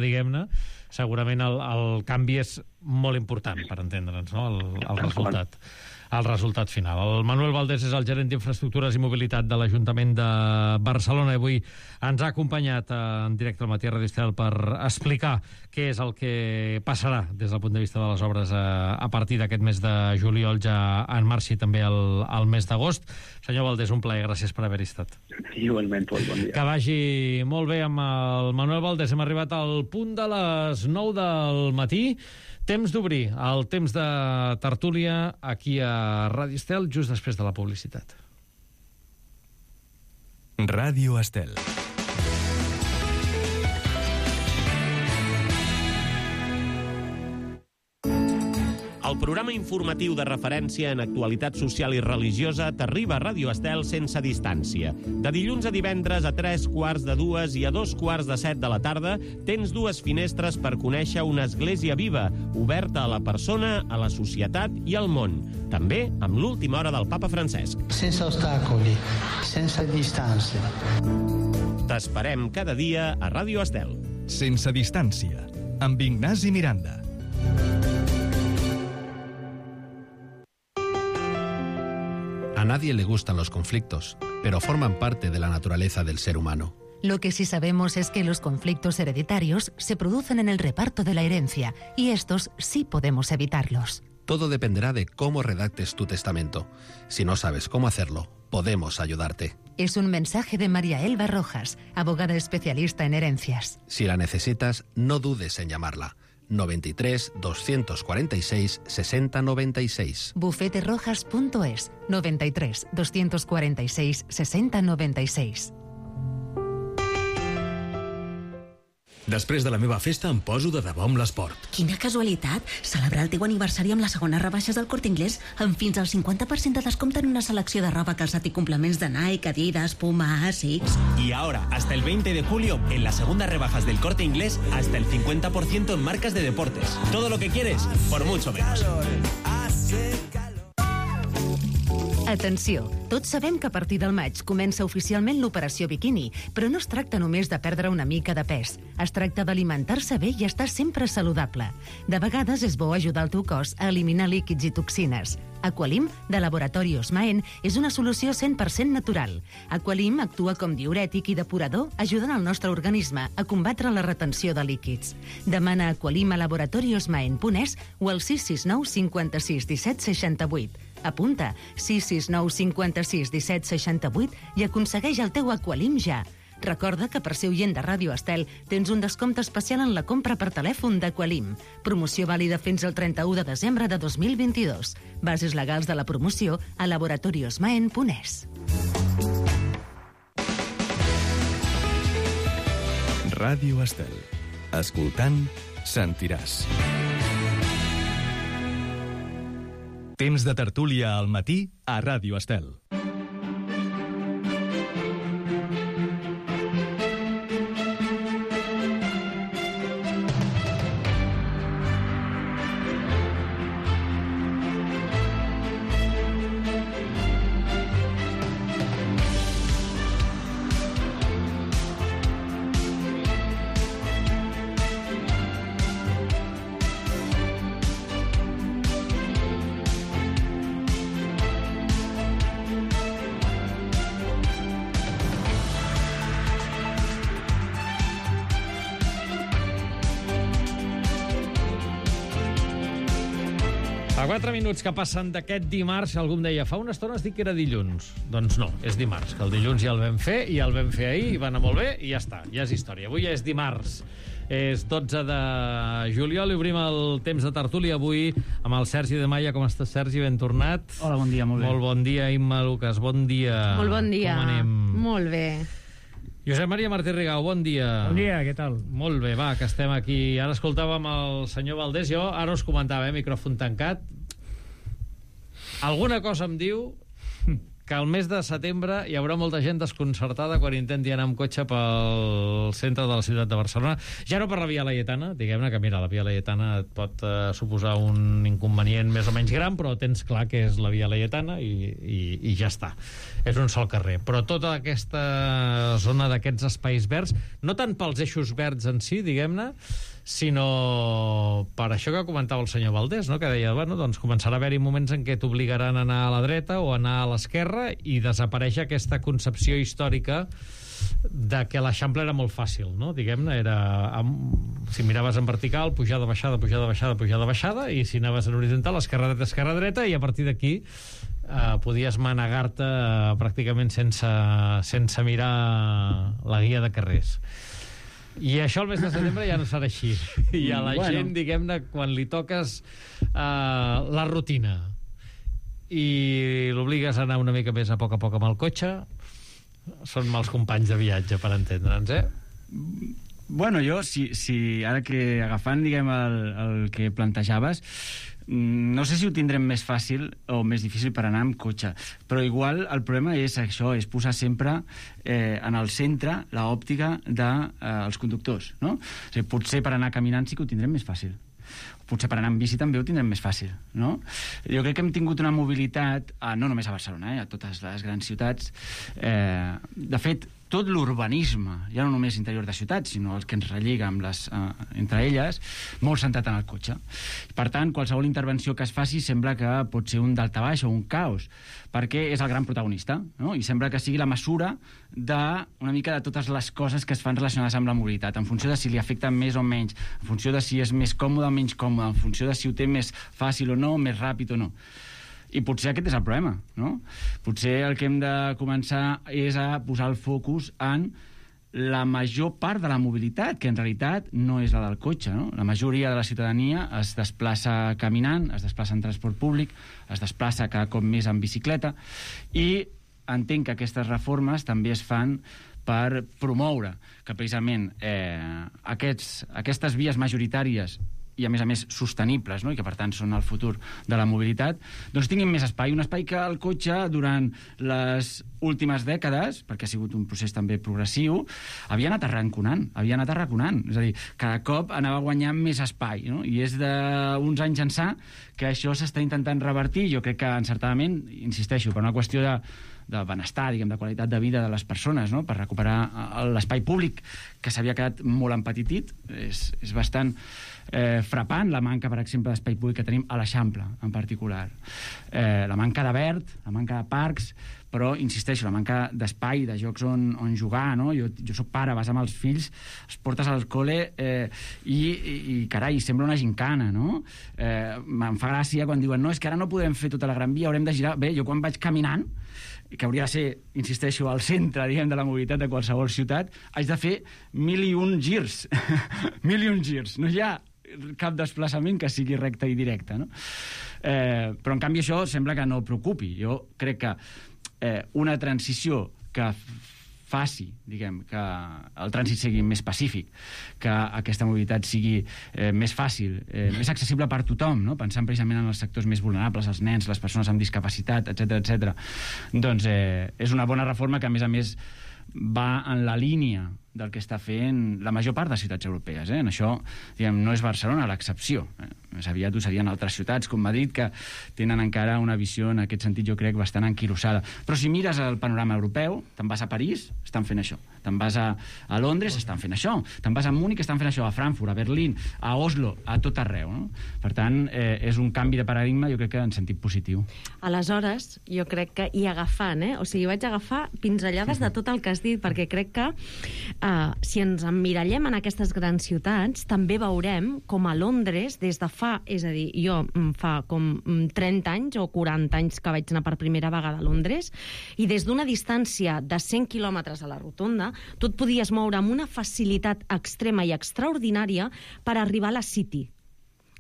diguem-ne, segurament el canvi és molt important per entendre'ns, no? El resultat final. El Manuel Valdés és el gerent d'Infraestructures i Mobilitat de l'Ajuntament de Barcelona i avui ens ha acompanyat en directe al Matí a Radio Estel per explicar què és el que passarà des del punt de vista de les obres a partir d'aquest mes de juliol, ja en marxi també el mes d'agost. Senyor Valdés, un plaer, gràcies per haver-hi estat. Igualment, bon dia. Que vagi molt bé amb el Manuel Valdés. Hem arribat al punt de les 9 del matí. Temps d'obrir el temps de tertúlia aquí a Ràdio Estel, just després de la publicitat. Ràdio Estel. El programa informatiu de referència en actualitat social i religiosa t'arriba a Ràdio Estel sense distància. De dilluns a divendres a 3:45 i a 2:45 de la tarda tens dues finestres per conèixer una església viva, oberta a la persona, a la societat i al món. També amb l'última hora del Papa Francesc. Sense ostacoli, sense distància. T'esperem cada dia a Ràdio Estel. Sense distància, amb Ignasi Miranda. A nadie le gustan los conflictos, pero forman parte de la naturaleza del ser humano. Lo que sí sabemos es que los conflictos hereditarios se producen en el reparto de la herencia, y estos sí podemos evitarlos. Todo dependerá de cómo redactes tu testamento. Si no sabes cómo hacerlo, podemos ayudarte. Es un mensaje de María Elba Rojas, abogada especialista en herencias. Si la necesitas, no dudes en llamarla. 93 246 60 96. Bufeterojas.es 93 246 60 96. Després de la meva festa em poso de debò amb l'esport. Quina casualitat! Celebrar el teu aniversari amb les segones rebaixes del Corte Inglés amb fins al 50% de descompte en una selecció de roba, calçat i complements de Nike, Adidas, Puma, Asics... Y ahora, hasta el 20 de julio, en las segundas rebajas del Corte Inglés, hasta el 50% en marcas de deportes. Todo lo que quieres, por mucho menos. Atenció, tots sabem que a partir del maig comença oficialment l'operació biquini, però no es tracta només de perdre una mica de pes. Es tracta d'alimentar-se bé i estar sempre saludable. De vegades és bo ajudar el teu cos a eliminar líquids i toxines. Aqualim, de Laboratori Osmaen, és una solució 100% natural. Aqualim actua com diürètic i depurador, ajudant el nostre organisme a combatre la retenció de líquids. Demana Aqualim a laboratoriosmaen.es o al 669 56 17 68. Apunta 669 56 17 68 i aconsegueix el teu Aqualim ja. Recorda que per ser oient de Ràdio Estel tens un descompte especial en la compra per telèfon d'Aqualim. Promoció vàlida fins al 31 de desembre de 2022. Bases legals de la promoció a laboratoriosmaen.es. Ràdio Estel. Escoltant, sentiràs. Temps de tertúlia al matí a Ràdio Estel. A 4 minuts que passen d'aquest dimarts, algú em deia, fa una estona has dit que era dilluns. Doncs no, és dimarts, que el dilluns ja el vam fer, i el vam fer ahir, i va anar molt bé, i ja està, ja és història. Avui ja és dimarts, és 12 de juliol, i obrim el temps de tertúlia avui amb el Sergi de Maia. Com estàs, Sergi? Ben tornat. Hola, bon dia, molt bé. Molt bon dia, Imma Lucas, bon dia. Molt bon dia. Com anem? Molt bé. Josep Maria Martí Rigau, bon dia. Bon dia, què tal? Molt bé, va, que estem aquí. Ara escoltàvem el senyor Valdés, jo ara us comentava, micròfon tancat. Alguna cosa em diu que al mes de setembre hi haurà molta gent desconcertada quan intenti anar amb cotxe pel centre de la ciutat de Barcelona. Ja no per la Via Laietana, diguem-ne que, mira, la Via Laietana et pot suposar un inconvenient més o menys gran, però tens clar que és la Via Laietana i ja està. És un sol carrer. Però tota aquesta zona d'aquests espais verds, no tant pels eixos verds en si, diguem-ne, sinó per això que comentava el senyor Valdés, no? Que deia, bueno, doncs començarà a haver-hi moments en què t'obligaran a anar a la dreta o a anar a l'esquerra i desapareix aquesta concepció històrica de que l'Eixample era molt fàcil, no? Diguem-ne, si miraves en vertical, pujada, baixada, pujada, baixada, pujada, baixada, i si anaves en horitzontal, esquerra, dreta, i a partir d'aquí podies manegar-te pràcticament sense mirar la guia de carrers. I això al mes de setembre ja no serà així. I a la gent, diguem-ne, quan li toques la rutina i l'obligues a anar una mica més a poc amb el cotxe, són mals companys de viatge, per entendre'ns, Bueno, jo, si ara que agafant, diguem, el que plantejaves, no sé si ho tindrem més fàcil o més difícil per anar amb cotxe, però igual el problema és això, és posar sempre en el centre l'òptica dels conductors, no? O sigui, potser per anar caminant sí que ho tindrem més fàcil, potser per anar amb bici també ho tindrem més fàcil, no? Jo crec que hem tingut una mobilitat, no només a Barcelona, a totes les grans ciutats. De fet, tot l'urbanisme, ja no només interior de ciutats, sinó el que ens relliga amb entre elles, molt centrat en el cotxe. Per tant, qualsevol intervenció que es faci sembla que pot ser un daltabaix o un caos, perquè és el gran protagonista, no? I sembla que sigui la mesura una mica de totes les coses que es fan relacionades amb la mobilitat, en funció de si li afecta més o menys, en funció de si és més còmode o menys còmode, en funció de si ho té més fàcil o no, més ràpid o no. I potser aquest és el problema, no? Potser el que hem de començar és a posar el focus en la major part de la mobilitat, que en realitat no és la del cotxe, no? La majoria de la ciutadania es desplaça caminant, es desplaça en transport públic, es desplaça cada cop més en bicicleta, i entenc que aquestes reformes també es fan per promoure que precisament aquestes vies majoritàries i a més sostenibles, no? I que per tant són el futur de la mobilitat, doncs tinguin més espai, un espai que el cotxe durant les últimes dècades, perquè ha sigut un procés també progressiu, havia anat arraconant, és a dir, cada cop anava guanyant més espai, no? I és d'uns anys ençà que això s'està intentant revertir, jo crec que encertadament, insisteixo, per una qüestió de benestar, diguem, de qualitat de vida de les persones, no? Per recuperar l'espai públic que s'havia quedat molt empetitit. És bastant frapant la manca, per exemple, d'espai públic que tenim a l'Eixample, en particular. La manca de verd, la manca de parcs, però, insisteixo, la manca d'espai, de jocs on jugar, no? Jo soc pare, vas amb els fills, els portes al col·le i carai, sembla una gincana, no? Em fa gràcia quan diuen, no, és que ara no podem fer tota la Gran Via, haurem de girar. Bé, jo quan vaig caminant, que hauria de ser, insisteixo, al centre, diguem, de la mobilitat de qualsevol ciutat, haig de fer 1.001 girs. 1.001 girs. No hi ha cap desplaçament que sigui recte i directe, no? Però, en canvi, això sembla que no preocupi. Jo crec que una transició que faci, diguem, que el trànsit sigui més pacífic, que aquesta mobilitat sigui més fàcil, més accessible per tothom, no? Pensant precisament en els sectors més vulnerables, els nens, les persones amb discapacitat, etc. Doncs és una bona reforma que, a més, va en la línia del que està fent la major part de ciutats europees. En això, diguem, no és Barcelona l'excepció. Més aviat ho serien altres ciutats, com Madrid, que tenen encara una visió, en aquest sentit, jo crec, bastant enquilosada. Però si mires el panorama europeu, te'n vas a París, estan fent això. Te'n vas a Londres, estan fent això. Te'n vas a Múnich, estan fent això. A Frankfurt, a Berlín, a Oslo, a tot arreu, no? Per tant, és un canvi de paradigma, jo crec que en sentit positiu. Aleshores, jo crec que, i agafant, o sigui, vaig agafar pinzellades de tot el que has dit, perquè crec que si ens emmirallem en aquestes grans ciutats, també veurem com a Londres, des de fa, és a dir, jo fa com 30 anys o 40 anys que vaig anar per primera vegada a Londres, i des d'una distància de 100 quilòmetres a la rotonda, tu et podies moure amb una facilitat extrema i extraordinària per arribar a la City.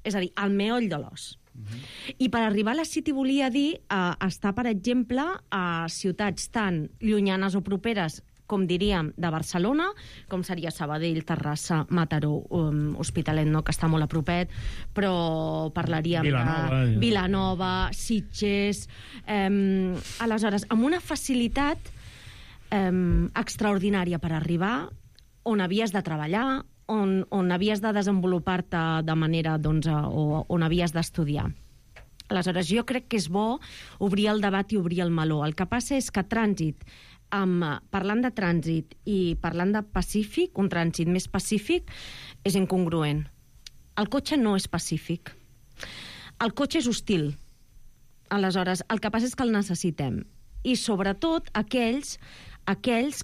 És a dir, al meoll de l'os. I per arribar a la City volia dir estar, per exemple, a ciutats tan llunyanes o properes com diríem, de Barcelona, com seria Sabadell, Terrassa, Mataró, Hospitalet, no, que està molt a propet, però parlaríem de Vilanova, Sitges... Aleshores, amb una facilitat extraordinària per arribar on havies de treballar, on havies de desenvolupar-te de manera, doncs, o on havies d'estudiar. Aleshores, jo crec que és bo obrir el debat i obrir el meló. El que passa és que parlant de trànsit i parlant de pacífic, un trànsit més pacífic, és incongruent. El cotxe no és pacífic. El cotxe és hostil. Aleshores, el que passa és que el necessitem. I sobretot aquells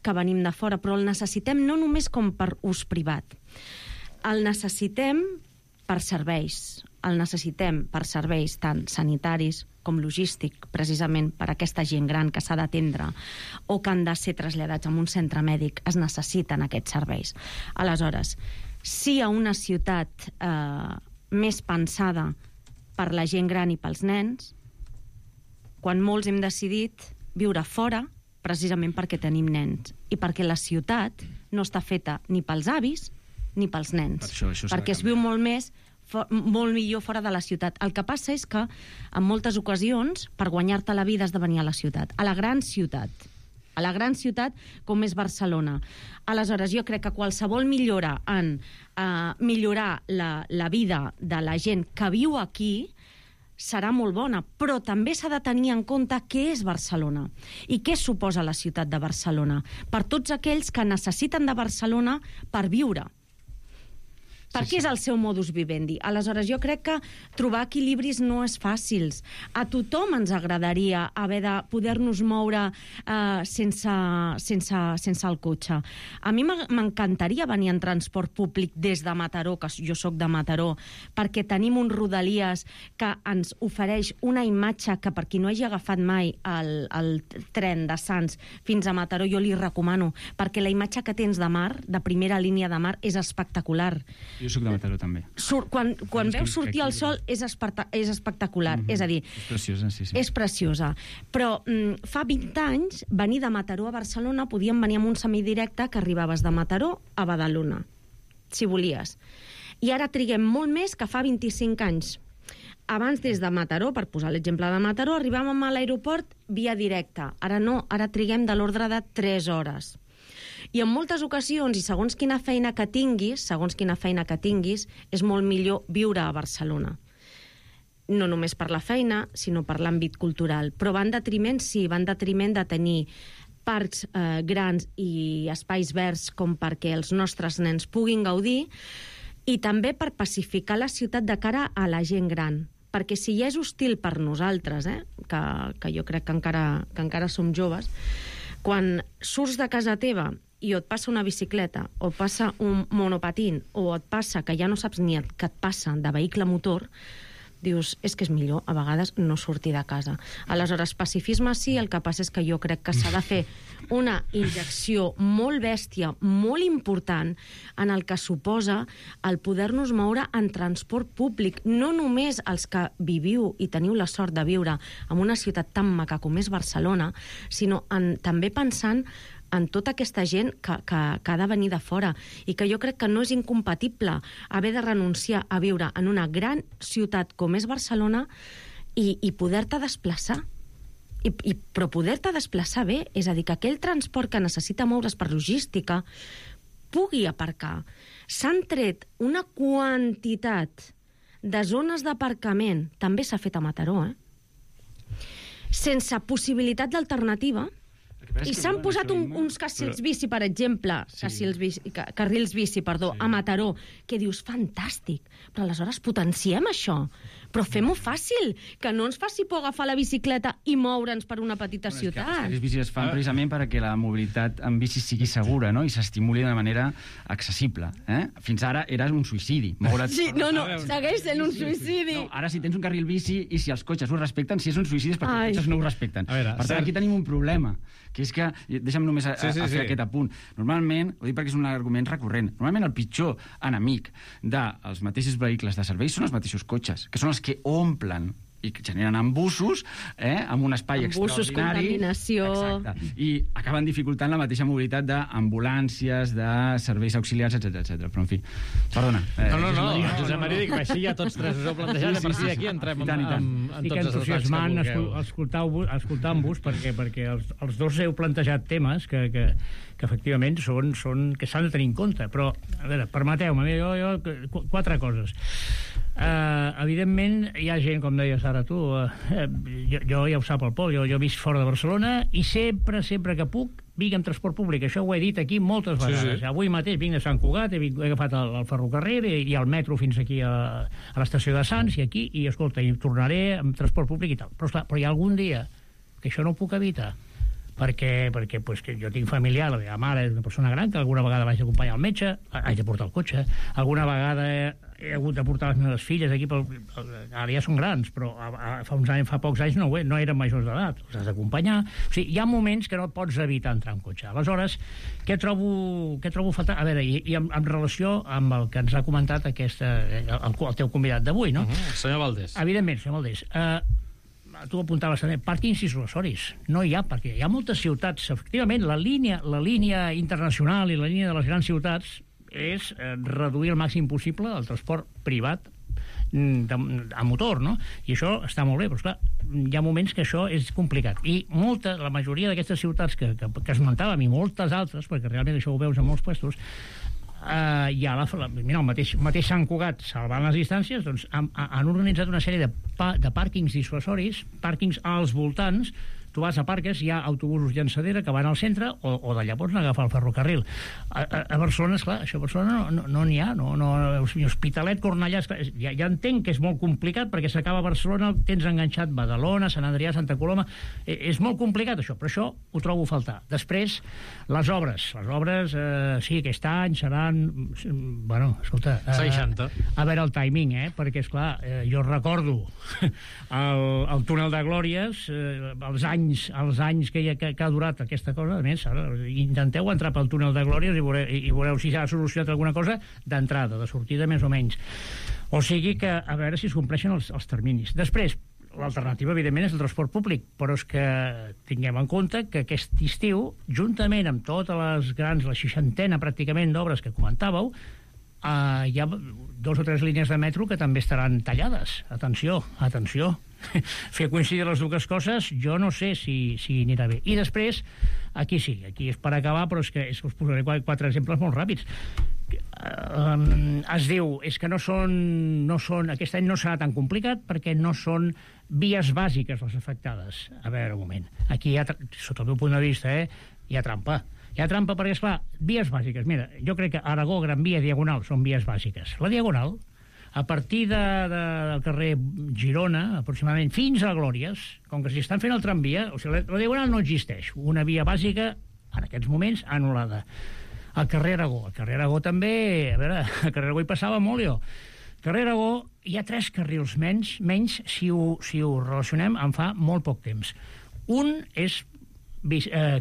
que venim de fora, però el necessitem no només com per ús privat. El necessitem per serveis. El necessitem per serveis tant sanitaris com logístic, precisament per aquesta gent gran que s'ha d'atendre o que han de ser traslladats a un centre mèdic. Es necessiten aquests serveis. Aleshores, si a una ciutat més pensada per la gent gran i pels nens, quan molts hem decidit viure fora, precisament perquè tenim nens i perquè la ciutat no està feta ni pels avis ni pels nens, perquè es viu molt millor fora de la ciutat. El que passa és que en moltes ocasions per guanyar-te la vida has de venir a la ciutat, a la gran ciutat com és Barcelona. Aleshores, jo crec que qualsevol millora en millorar la vida de la gent que viu aquí serà molt bona, però també s'ha de tenir en compte què és Barcelona i què suposa la ciutat de Barcelona per tots aquells que necessiten de Barcelona per viure. Perquè és el seu modus vivendi. Aleshores, jo crec que trobar equilibris no és fàcil. A tothom ens agradaria haver de poder-nos moure sense el cotxe. A mi m'encantaria venir en transport públic des de Mataró, que jo sóc de Mataró, perquè tenim un Rodalies que ens ofereix una imatge que per qui no hagi agafat mai el tren de Sants fins a Mataró, jo li recomano, perquè la imatge que tens de mar, de primera línia de mar, és espectacular. Jo soc de Mataró, també. Quan veus sortir el sol és espectacular. És a dir, és preciosa, sí. És preciosa. Però fa 20 anys, venir de Mataró a Barcelona, podíem venir amb un semidirecte que arribaves de Mataró a Badalona, si volies. I ara triguem molt més que fa 25 anys. Abans, des de Mataró, per posar l'exemple de Mataró, arribàvem a l'aeroport via directa. Ara no, ara triguem de l'ordre de 3 hores. I en moltes ocasions, i segons quina feina que tinguis, és molt millor viure a Barcelona. No només per la feina, sinó per l'àmbit cultural. Però va en detriment de tenir parcs grans i espais verds com perquè els nostres nens puguin gaudir, i també per pacificar la ciutat de cara a la gent gran. Perquè si ja és hostil per nosaltres, que jo crec que encara som joves, quan surts de casa teva i et passa una bicicleta, o et passa un monopatín, o et passa que ja no saps ni el que et passa de vehicle motor, dius, és que és millor a vegades no sortir de casa. Aleshores, pacifisme sí, el que passa és que jo crec que s'ha de fer una injecció molt bèstia, molt important, en el que suposa el poder-nos moure en transport públic, no només els que viviu i teniu la sort de viure en una ciutat tan maca com és Barcelona, sinó també pensant en tota aquesta gent que ha de venir de fora, i que jo crec que no és incompatible haver de renunciar a viure en una gran ciutat com és Barcelona i poder-te desplaçar. Però poder-te desplaçar bé, és a dir, que aquell transport que necessita moure's per logística pugui aparcar. S'han tret una quantitat de zones d'aparcament, també s'ha fet a Mataró, sense possibilitat d'alternativa. I s'han posat uns carrils bici, per exemple, carrils bici, a Mataró, que dius, fantàstic, però aleshores potenciem això, però fem-ho fàcil, que no ens faci por agafar la bicicleta i moure'ns per una petita ciutat. Els carrils bici es fan precisament perquè la mobilitat en bici sigui segura, no?, i s'estimuli de manera accessible. Fins ara era un suïcidi. Sí, no, segueix sent un suïcidi. Ara, si tens un carril bici i si els cotxes ho respecten, si és un suïcidi és perquè els cotxes no ho respecten. Per tant, aquí tenim un problema, que és que, deixa'm només fer aquest apunt, normalment, ho dic perquè és un argument recurrent, normalment el pitjor enemic dels mateixos vehicles de servei són els mateixos cotxes, que són els que omplen i que generen embussos, amb un espai embussos, extraordinari. Contaminació... Exacte. I acaben dificultant la mateixa mobilitat d'ambulàncies, de serveis auxiliars, etc. Però, en fi, perdona. No, Josep Maria, dic, així ja tots tres us heu plantejat, a partir d'aquí entrem en tots els entusiasmant escoltant-vos, perquè els dos heu plantejat temes que efectivament que s'han de tenir en compte. Però, a veure, permeteu-me, jo 4 coses. Evidentment, hi ha gent, com deies ara tu, jo ja ho sap el Pol, jo visc fora de Barcelona i sempre que puc vinc amb transport públic. Això ho he dit aquí moltes vegades. Sí. Avui mateix vinc de Sant Cugat, he agafat el ferrocarril i el metro fins aquí a l'estació de Sants i aquí, i escolta, i tornaré amb transport públic i tal. Però esclar, hi ha algun dia que això no ho puc evitar, perquè pues, que jo tinc familiar, la meva mare és una persona gran, que alguna vegada vaig acompanyar al metge, haig de portar el cotxe, alguna vegada he hagut de portar les meves filles aquí, ara ja són grans, però fa pocs anys no eren majors d'edat, els has d'acompanyar. O sigui, hi ha moments que no pots evitar entrar en cotxe. Aleshores, què trobo faltar? A veure, i en relació amb el que ens ha comentat el teu convidat d'avui, no? Senyor Valdés. Evidentment, senyor Valdés. Tu apuntaves també, pàrquings dissuasoris. No hi ha, perquè hi ha moltes ciutats. Efectivament, la línia internacional i la línia de les grans ciutats és reduir al màxim possible el transport privat a motor, no? I això està molt bé, però esclar, hi ha moments que això és complicat. I la majoria d'aquestes ciutats que esmentàvem, i moltes altres, perquè realment això ho veus en molts puestos, hi ha el mateix Sant Cugat, salvant les distàncies, doncs han organitzat una sèrie de pàrquings dissuasoris, pàrquings als voltants. Tu vas a Parques, hi ha autobusos llançadera que van al centre, o d'allà pots agafar el ferrocarril. A Barcelona, esclar, això a Barcelona no n'hi ha, Hospitalet, Cornellà, ja entenc que és molt complicat, perquè s'acaba Barcelona, tens enganxat Badalona, Sant Adrià, Santa Coloma, és molt complicat això, però això ho trobo a faltar. Després, les obres, sí, aquest any seran, bueno, escolta... 60. A veure el timing, perquè, esclar, jo recordo el túnel de Glòries, els anys que ha durat aquesta cosa. A més, ara intenteu entrar pel túnel de Glòries i veureu si s'ha solucionat alguna cosa d'entrada, de sortida més o menys. O sigui que a veure si es compleixen els terminis. Després, l'alternativa, evidentment, és el transport públic, però és que tinguem en compte que aquest estiu, juntament amb totes les grans, la 60ena pràcticament d'obres que comentàveu, hi ha 2 o 3 línies de metro que també estaran tallades. Atenció. Fer coincidir les dues coses, jo no sé si anirà bé. I després, aquí és per acabar, però és que us posaré 4 exemples molt ràpids. Es diu, és que no són, aquest any no serà tan complicat perquè no són vies bàsiques les afectades. A veure, un moment. Aquí, sota el meu punt de vista, hi ha trampa. Hi ha trampa perquè, esclar, vies bàsiques. Mira, jo crec que Aragó, Gran Via, Diagonal són vies bàsiques. La Diagonal, a partir del carrer Girona, aproximadament, fins a Glòries, com que s'hi estan fent el tramvia, o sigui, la Diagonal no existeix. Una via bàsica, en aquests moments, anul·lada. El carrer Aragó també, a veure, al carrer Aragó hi passava molt, jo. Al carrer Aragó hi ha 3 carrils menys si ho relacionem en fa molt poc temps. Un és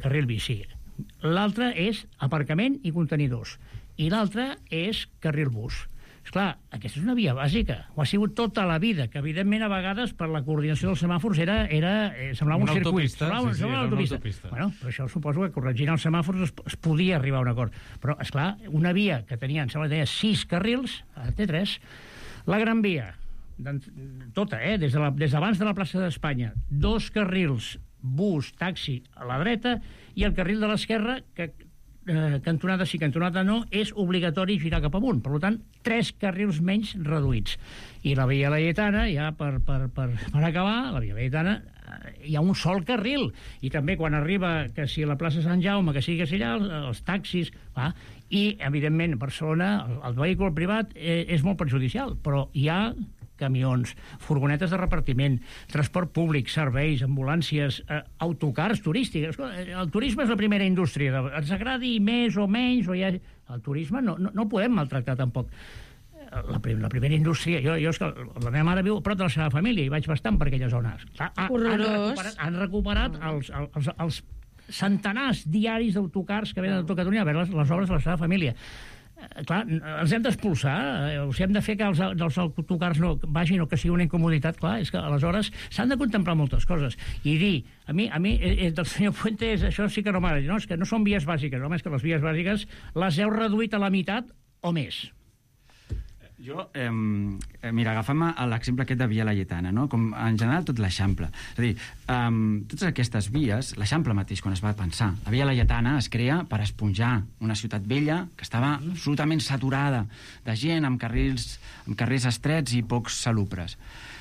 carril bici, l'altre és aparcament i contenidors, i l'altre és carril bus. Esclar, aquesta és una via bàsica, ho ha sigut tota la vida, que evidentment a vegades per la coordinació dels semàfors semblava un circuit, semblava una autopista. Bueno, però això suposo que corregint els semàfors es podia arribar a un acord. Però, esclar, una via que tenia, em sembla que tenia 6 carrils, ara té 3, la Gran Via, tota, des d'abans de la plaça d'Espanya, 2 carrils, bus, taxi a la dreta, i el carril de l'esquerra, que cantonada sí, cantonada no, és obligatori girar cap amunt. Per tant, 3 carrils menys reduïts. I la Via Laietana, ja per acabar, la Via Laietana, hi ha un sol carril. I també quan arriba, que si a la plaça Sant Jaume, que sigui allà, els taxis... I, evidentment, a Barcelona, el vehicle privat és molt perjudicial, però hi ha camions, furgonetes de repartiment, transport públic, serveis, ambulàncies, autocars turístics. El turisme és la primera indústria. Ens agradi més o menys, el turisme no podem maltractar tampoc. La primera indústria... La meva mare viu a prop de la seva família i vaig bastant per aquella zona. Han recuperat els centenars diaris d'autocars que venen a tot Catalunya a veure les obres de la seva família. clar, els hem d'expulsar, hem de fer que els autocars no vagin o que sigui una incomoditat, clar, és que aleshores s'han de contemplar moltes coses. I dir, a mi del senyor Fuentes, això sí que no m'agrada, no, és que no són vies bàsiques, home, és que les vies bàsiques les heu reduït a la meitat o més. Jo, mira, agafem l'exemple aquest de Via Laietana, no? Com en general tot l'Eixample. És a dir, totes aquestes vies, l'Eixample mateix, quan es va pensar, la Via Laietana es crea per esponjar una ciutat vella que estava absolutament saturada de gent, amb carrers estrets i pocs salubres.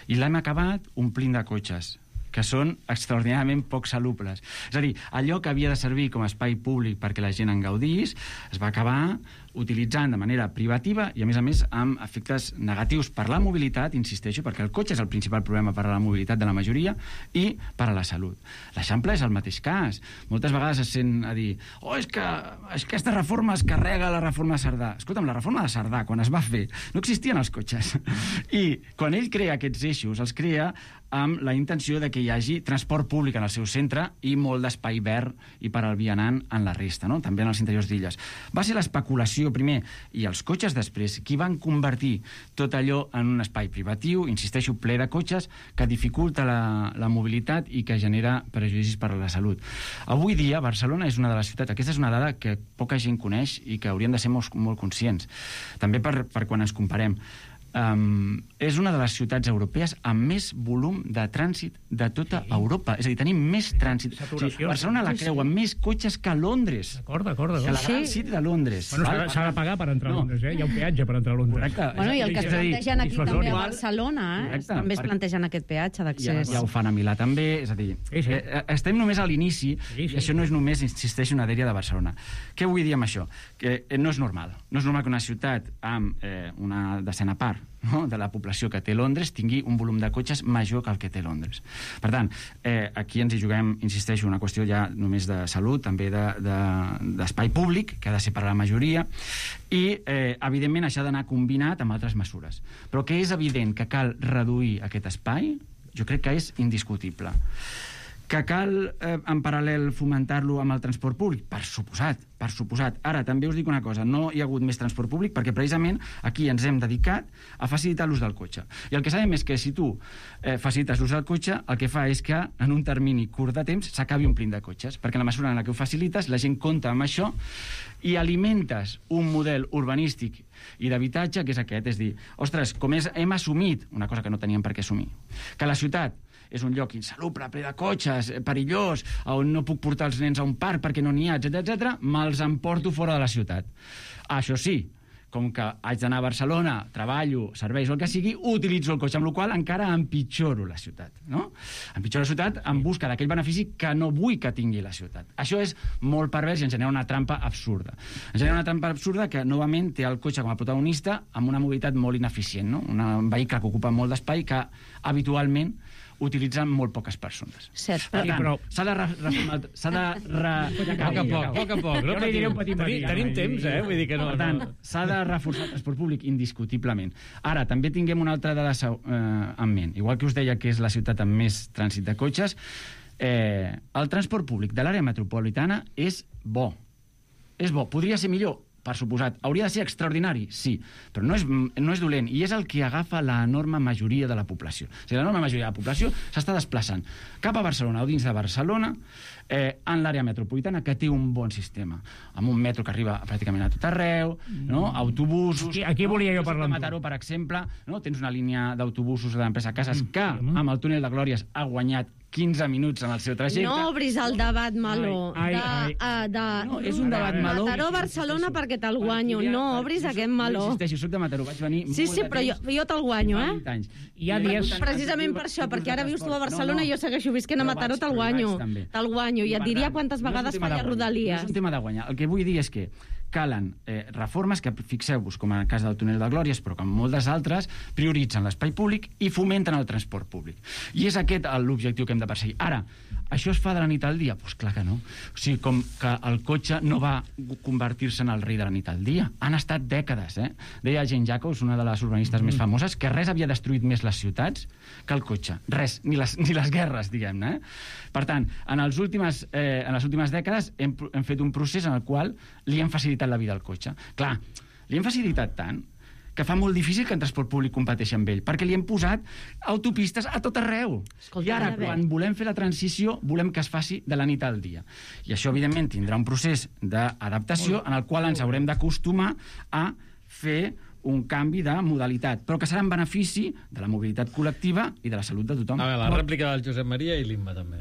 I l'hem acabat omplint de cotxes, que són extraordinàriament poc salubles. És a dir, allò que havia de servir com a espai públic perquè la gent en gaudís, es va acabar utilitzant de manera privativa i, a més, amb efectes negatius per la mobilitat, insisteixo, perquè el cotxe és el principal problema per a la mobilitat de la majoria i per a la salut. L'Eixample és el mateix cas. Moltes vegades es sent a dir és que aquesta reforma es carrega la reforma de Cerdà. Escolta'm, la reforma de Cerdà, quan es va fer, no existien els cotxes. I quan ell crea aquests eixos, els crea amb la intenció de que hi hagi transport públic en el seu centre i molt d'espai verd i per al vianant en la resta, no? També en els interiors d'illes. Va ser l'especulació primer i els cotxes després qui van convertir tot allò en un espai privatiu, insisteixo, ple de cotxes, que dificulta la mobilitat i que genera prejudicis per a la salut. Avui dia Barcelona és una de les ciutats, aquesta és una dada que poca gent coneix i que hauríem de ser molt conscients, també per quan ens comparem. És una de les ciutats europees amb més volum de trànsit de tota Europa. És a dir, tenim més trànsit. Barcelona la creu amb més cotxes que Londres. D'acord. Que la gran city de Londres. Bueno, s'ha de pagar per entrar a Londres, Hi ha un peatge per entrar a Londres. Bueno, i el que es plantegen aquí també a Barcelona, també es plantegen aquest peatge d'accés. Ja ho fan a Milà també, és a dir, estem només a l'inici, i això no és només, insisteixo, una dèria de Barcelona. Què vull dir amb això? Que no és normal. No és normal que una ciutat amb una decena part de la població que té Londres tingui un volum de cotxes major que el que té Londres. Per tant, aquí ens hi juguem, insisteixo, una qüestió ja només de salut, també d'espai públic, que ha de ser per a la majoria, i, evidentment, això ha d'anar combinat amb altres mesures. Però que és evident que cal reduir aquest espai, jo crec que és indiscutible. Que cal, en paral·lel, fomentar-lo amb el transport públic? Per suposat. Ara, també us dic una cosa, no hi ha hagut més transport públic perquè precisament aquí ens hem dedicat a facilitar l'ús del cotxe. I el que sabem és que si tu facilites l'ús del cotxe, el que fa és que en un termini curt de temps s'acabi omplint de cotxes, perquè en la mesura en la que ho facilites, la gent compta amb això i alimentes un model urbanístic i d'habitatge que és aquest, és dir, ostres, com hem assumit, una cosa que no teníem per què assumir, que la ciutat és un lloc insalubre, ple de cotxes, perillós, on no puc portar els nens a un parc perquè no n'hi ha, etc., me'ls emporto fora de la ciutat. Això sí, com que haig d'anar a Barcelona, treballo, serveis o el que sigui, utilitzo el cotxe, amb la qual cosa encara empitjoro la ciutat, no? Empitjoro la ciutat en busca d'aquell benefici que no vull que tingui la ciutat. Això és molt pervers i ens genera una trampa absurda. Ens genera una trampa absurda que, novament, té el cotxe com a protagonista amb una mobilitat molt ineficient, no? Un vehicle que ocupa molt d'espai que, habitualment, utilitzen molt poques persones. Cert. Per tant, s'ha de poc a poc. Tenim temps, Vull dir que no. Per tant, s'ha de reforçar el transport públic indiscutiblement. Ara, també tinguem una altra dada en ment. Igual que us deia que és la ciutat amb més trànsit de cotxes, el transport públic de l'àrea metropolitana és bo. És bo. Podria ser millor? Per suposat. Hauria de ser extraordinari? Sí. Però no és dolent. I és el que agafa l'enorme majoria de la població. O sigui, l'enorme majoria de la població s'està desplaçant cap a Barcelona o dins de Barcelona en l'àrea metropolitana, que té un bon sistema. Amb un metro que arriba pràcticament a tot arreu, no? Autobusos... Aquí volia jo parlar amb tu. Mataró, per exemple, no? Tens una línia d'autobusos de l'empresa Casas que, amb el túnel de Glòries, ha guanyat 15 minuts en el seu trajecte. No obris el debat meló. No, és un debat meló. Mataró-Barcelona perquè te'l guanyo. No obris aquest meló. No insisteixo, soc de Mataró, vaig venir Sí, però jo te'l guanyo, Hi ha dies... Precisament per això, perquè ara vius tu a Barcelona i jo segueixo visquent a Mataró, te'l guanyo. Te'l guanyo. I et diria quantes vegades falla Rodalies. No és un tema de guanyar. El que vull dir és que calen reformes que, fixeu-vos, com en el cas del túnel de Glòries, però com moltes altres, prioritzen l'espai públic i fomenten el transport públic. I és aquest l'objectiu que hem de perseguir. Ara, això es fa de la nit al dia? Doncs clar que no. O sigui, com que el cotxe no va convertir-se en el rei de la nit al dia. Han estat dècades, Deia Jane Jacobs, una de les urbanistes més famoses, que res havia destruït més les ciutats que el cotxe. Res, ni les guerres, diguem-ne. Per tant, en les últimes dècades hem fet un procés en el qual li hem facilitat la vida al cotxe. Clar, li hem facilitat tant que fa molt difícil que en transport públic competeixi amb ell, perquè li hem posat autopistes a tot arreu. I ara, quan volem fer la transició, volem que es faci de la nit al dia. I això, evidentment, tindrà un procés d'adaptació en el qual ens haurem d'acostumar a fer un canvi de modalitat, però que serà en benefici de la mobilitat col·lectiva i de la salut de tothom. A veure, la rèplica del Josep Maria i l'Imma, també.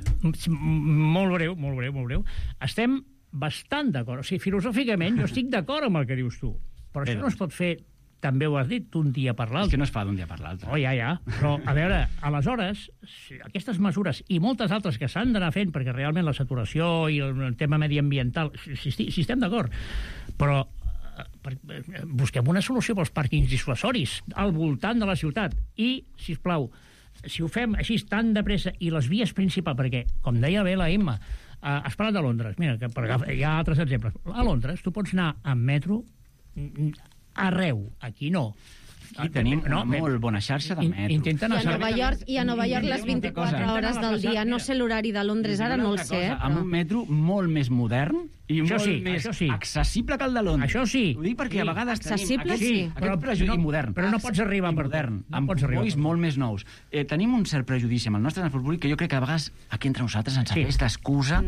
Molt breu. Estem bastant d'acord. O sigui, filosòficament, jo estic d'acord amb el que dius tu, però això no es pot fer, també ho has dit, d'un dia per l'altre. És que no es fa d'un dia per l'altre. Oh, ja. Però, a veure, aleshores, aquestes mesures i moltes altres que s'han d'anar fent, perquè realment la saturació i el tema mediambiental, si estem d'acord, però busquem una solució pels pàrquings dissuasoris al voltant de la ciutat i, sisplau, si ho fem així tan de pressa i les vies principals, perquè, com deia bé la Imma, has parlat de Londres, mira, que hi ha altres exemples. A Londres tu pots anar amb metro arreu, aquí no. Aquí tenim una molt bona xarxa de metro. I a Nova York les 24 hores del dia. No sé l'horari de Londres, ara no el sé. Amb un metro molt més modern i molt més accessible que el de Londres. Això sí. Ho dic perquè a vegades tenim aquest prejudici modern. Però no pots arribar per modern, amb combois molt més nous. Tenim un cert prejudici amb el nostre transport públic que jo crec que a vegades aquí entre nosaltres ens serveix d'excusa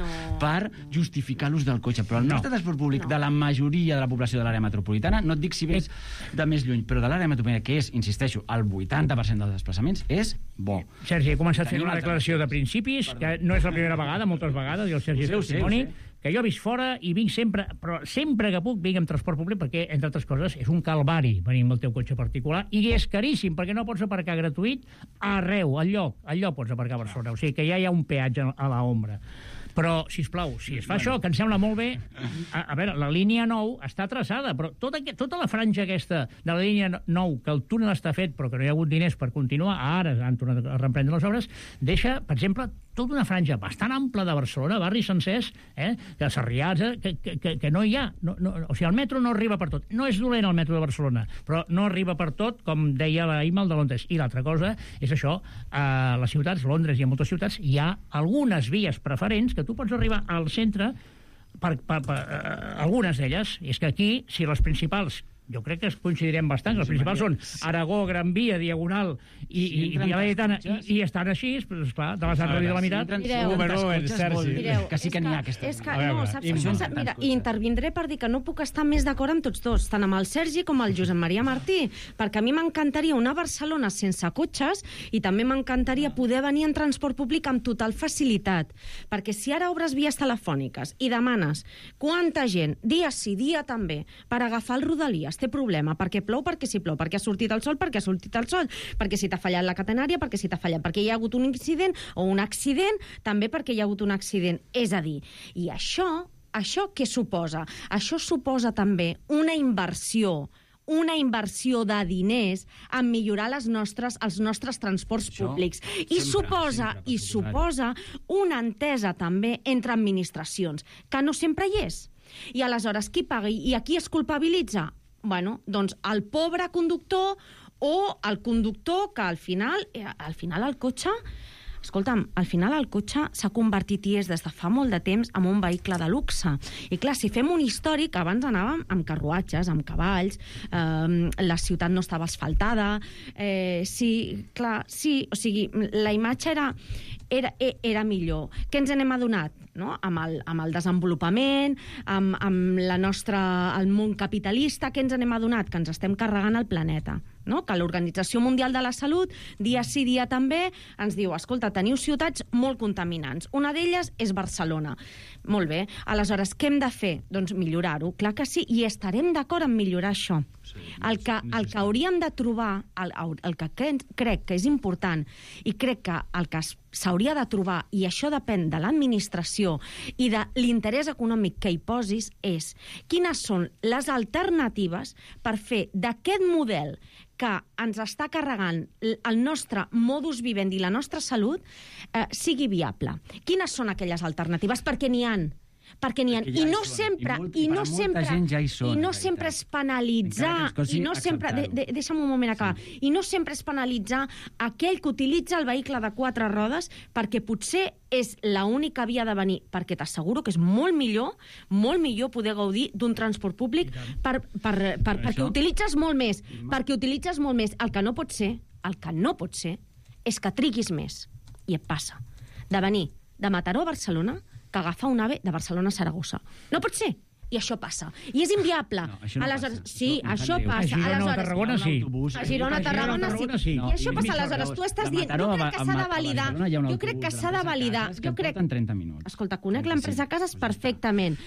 per justificar l'ús del cotxe. Però el nostre transport públic de la majoria de la població de l'àrea metropolitana, no et dic si vés de més lluny, però de l'àrea metropolitana, que és, insisteixo, el 80% dels desplaçaments, és bo. Sergi, he començat fent una declaració de principis, que no és la primera vegada, moltes vegades, i el Sergi és testimoni, que jo visc fora i vinc sempre, però sempre que puc vinc amb transport públic perquè, entre altres coses, és un calvari venir amb el teu cotxe particular i és caríssim perquè no pots aparcar gratuït arreu, al lloc pots aparcar a Barcelona. O sigui que ja hi ha un peatge a l'ombra. Però, sisplau, si es fa això, que em sembla molt bé, a veure, la línia 9 està traçada, però tota la franja aquesta de la línia 9, que el túnel està fet, però que no hi ha hagut diners per continuar, ara han tornat a reprendre les obres, deixa, per exemple, tota una franja bastant ampla de Barcelona, barris sencers, de Sarrià, que no hi ha. O sigui, el metro no arriba per tot. No és dolent el metro de Barcelona, però no arriba per tot, com deia la Imma, el de Londres. I l'altra cosa és això, a les ciutats, Londres i a moltes ciutats, hi ha algunes vies preferents que tu pots arribar al centre per algunes d'elles. I és que aquí, si les principals, jo crec que es coincidirem bastant, les principals són Aragó, Gran Via, Diagonal i Via Laietana, i estan així, esclar, de les han reduït a la meitat. Mireu, que sí que n'hi ha aquestes. Mira, i intervindré per dir que no puc estar més d'acord amb tots dos, tant amb el Sergi com el Josep Maria Martí, perquè a mi m'encantaria una Barcelona sense cotxes i també m'encantaria poder venir en transport públic amb total facilitat, perquè si ara obres vies telefòniques i demanes quanta gent, dia sí, dia també, per agafar el Rodalies, té problema, perquè plou, perquè si plou, perquè ha sortit el sol, perquè ha sortit el sol, perquè si t'ha fallat la catenària, perquè si t'ha fallat, perquè hi ha hagut un incident o un accident, també perquè hi ha hagut un accident. És a dir, i això què suposa? Això suposa també una inversió de diners en millorar els nostres transports públics. I suposa una entesa també entre administracions, que no sempre hi és. I aleshores, qui paga i a qui es culpabilitza? Bueno, doncs el pobre conductor o el conductor que al final el cotxe... Escolta'm, al final el cotxe s'ha convertit i és des de fa molt de temps en un vehicle de luxe. I clar, si fem un històric, abans anàvem amb carruatges, amb cavalls, la ciutat no estava asfaltada, o sigui, la imatge era millor. Què ens n'hem adonat? No? Amb el desenvolupament, amb el món capitalista, què ens n'hem adonat? Que ens estem carregant el planeta. No? Que l'Organització Mundial de la Salut, dia sí, dia també, ens diu, escolta, teniu ciutats molt contaminants. Una d'elles és Barcelona. Molt bé. Aleshores, què hem de fer? Doncs millorar-ho. Clar que sí, i estarem d'acord en millorar això. El que hauríem de trobar, el que crec que és important, i crec que el que s'hauria de trobar, i això depèn de l'administració i de l'interès econòmic que hi posis, és quines són les alternatives per fer d'aquest model que ens està carregant el nostre modus vivendi i la nostra salut sigui viable. Quines són aquelles alternatives? Perquè n'hi han. perquè n'hi ha, i no sempre és penalitzar, i no sempre, deixa'm un moment acabar, i no sempre és penalitzar aquell que utilitza el vehicle de 4 rodes perquè potser és l'única via de venir, perquè t'asseguro que és molt millor poder gaudir d'un transport públic perquè utilitzes molt més, El que no pot ser és que triguis més, i et passa, de venir de Mataró a Barcelona que agafar un AVE de Barcelona a Saragossa. No pot ser. I això passa. I és inviable. No, això no aleshores, passa. Sí, això passa. A Girona o Tarragona sí. A Girona o Tarragona sí. I això passa. Aleshores, tu estàs dient... Jo crec que s'ha de validar. Jo crec que s'ha de validar. Jo crec que en 30 minuts. Escolta, conec l'empresa a cases perfectament.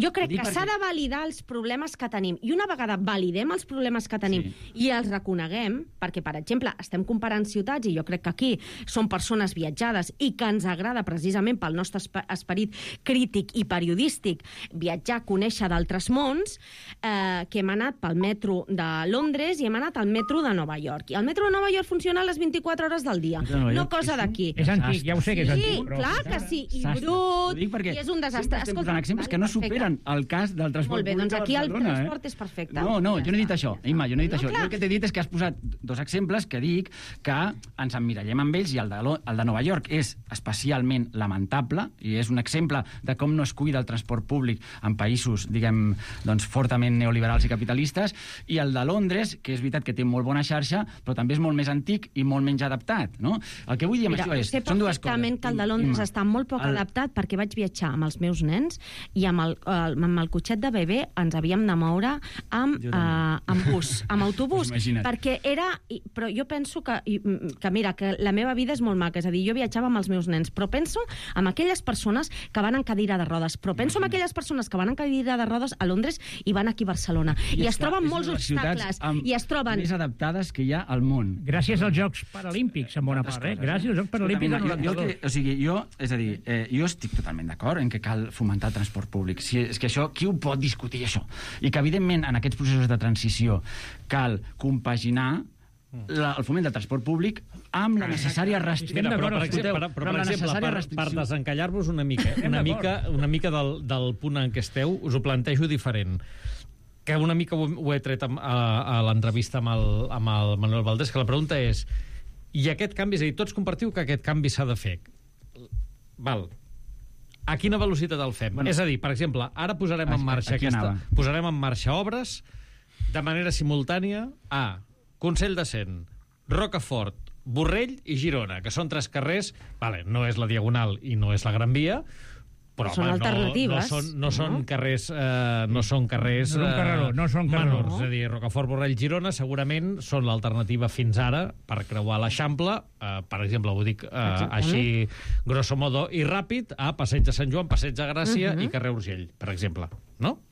Jo crec que s'ha de validar els problemes que tenim. I una vegada validem els problemes que tenim i els reconeguem, perquè, per exemple, estem comparant ciutats i jo crec que aquí són persones viatjades i que ens agrada precisament pel nostre esperit crític i periodístic viatjar, conèixer d'altres mons, que hem anat pel metro de Londres i hem anat al metro de Nova York. I el metro de Nova York funciona a les 24 hores del dia. No cosa d'aquí. És antic, ja ho sé que és antic. Sí, clar que sí. I brut, i és un desastre. Estem posant exemples que no superen el cas del transport públic. Molt bé, doncs aquí el transport és perfecte. No, jo no he dit això, Imma, jo no he dit això. Jo el que t'he dit és que has posat 2 exemples que dic que ens emmirallem amb ells, i el de Nova York és especialment lamentable i és un exemple de com no es cuida el transport públic en països, diguem, doncs, fortament neoliberals i capitalistes, i el de Londres, que és veritat que té molt bona xarxa, però també és molt més antic i molt menys adaptat, no? El que vull dir amb això és... Sé perfectament que el de Londres està molt poc adaptat, perquè vaig viatjar amb els meus nens i amb el cotxet de bebè ens havíem de moure amb bus, amb autobús, perquè era... Però jo penso que mira, que la meva vida és molt maca, és a dir, jo viatjava amb els meus nens, però penso en aquelles persones que van en cadira de rodes, però penso en aquelles persones que van en cadira de rodes a Londres i van aquí a Barcelona. I es troben molts obstacles. I es troben... més adaptades que hi ha al món. Gràcies als Jocs Paralímpics, en bona part, Gràcies als Jocs Paralímpics del 92. Jo estic totalment d'acord en que cal fomentar el transport públic. És que això, qui ho pot discutir, això? I que, evidentment, en aquests processos de transició cal compaginar el foment del transport públic amb la necessària restricció. Per desencallar-vos una mica del punt en què esteu, us ho plantejo diferent. Que una mica ho he tret a l'entrevista amb el Manuel Valdés, que la pregunta és: i aquest canvi, és a dir, tots compartiu que aquest canvi s'ha de fer. Val. A quina velocitat el fem? És a dir, per exemple, ara posarem en marxa obres de manera simultània a Consell de Cent, Rocafort, Borrell i Girona, que són 3 carrers, no és la Diagonal i no és la Gran Via, però són alternatives. No són carrers menors. És a dir, Rocafort, Borrell, Girona segurament són l'alternativa fins ara per creuar l'Eixample, per exemple, ho dic així grosso modo i ràpid, a Passeig de Sant Joan, Passeig de Gràcia i carrer Urgell, per exemple, no?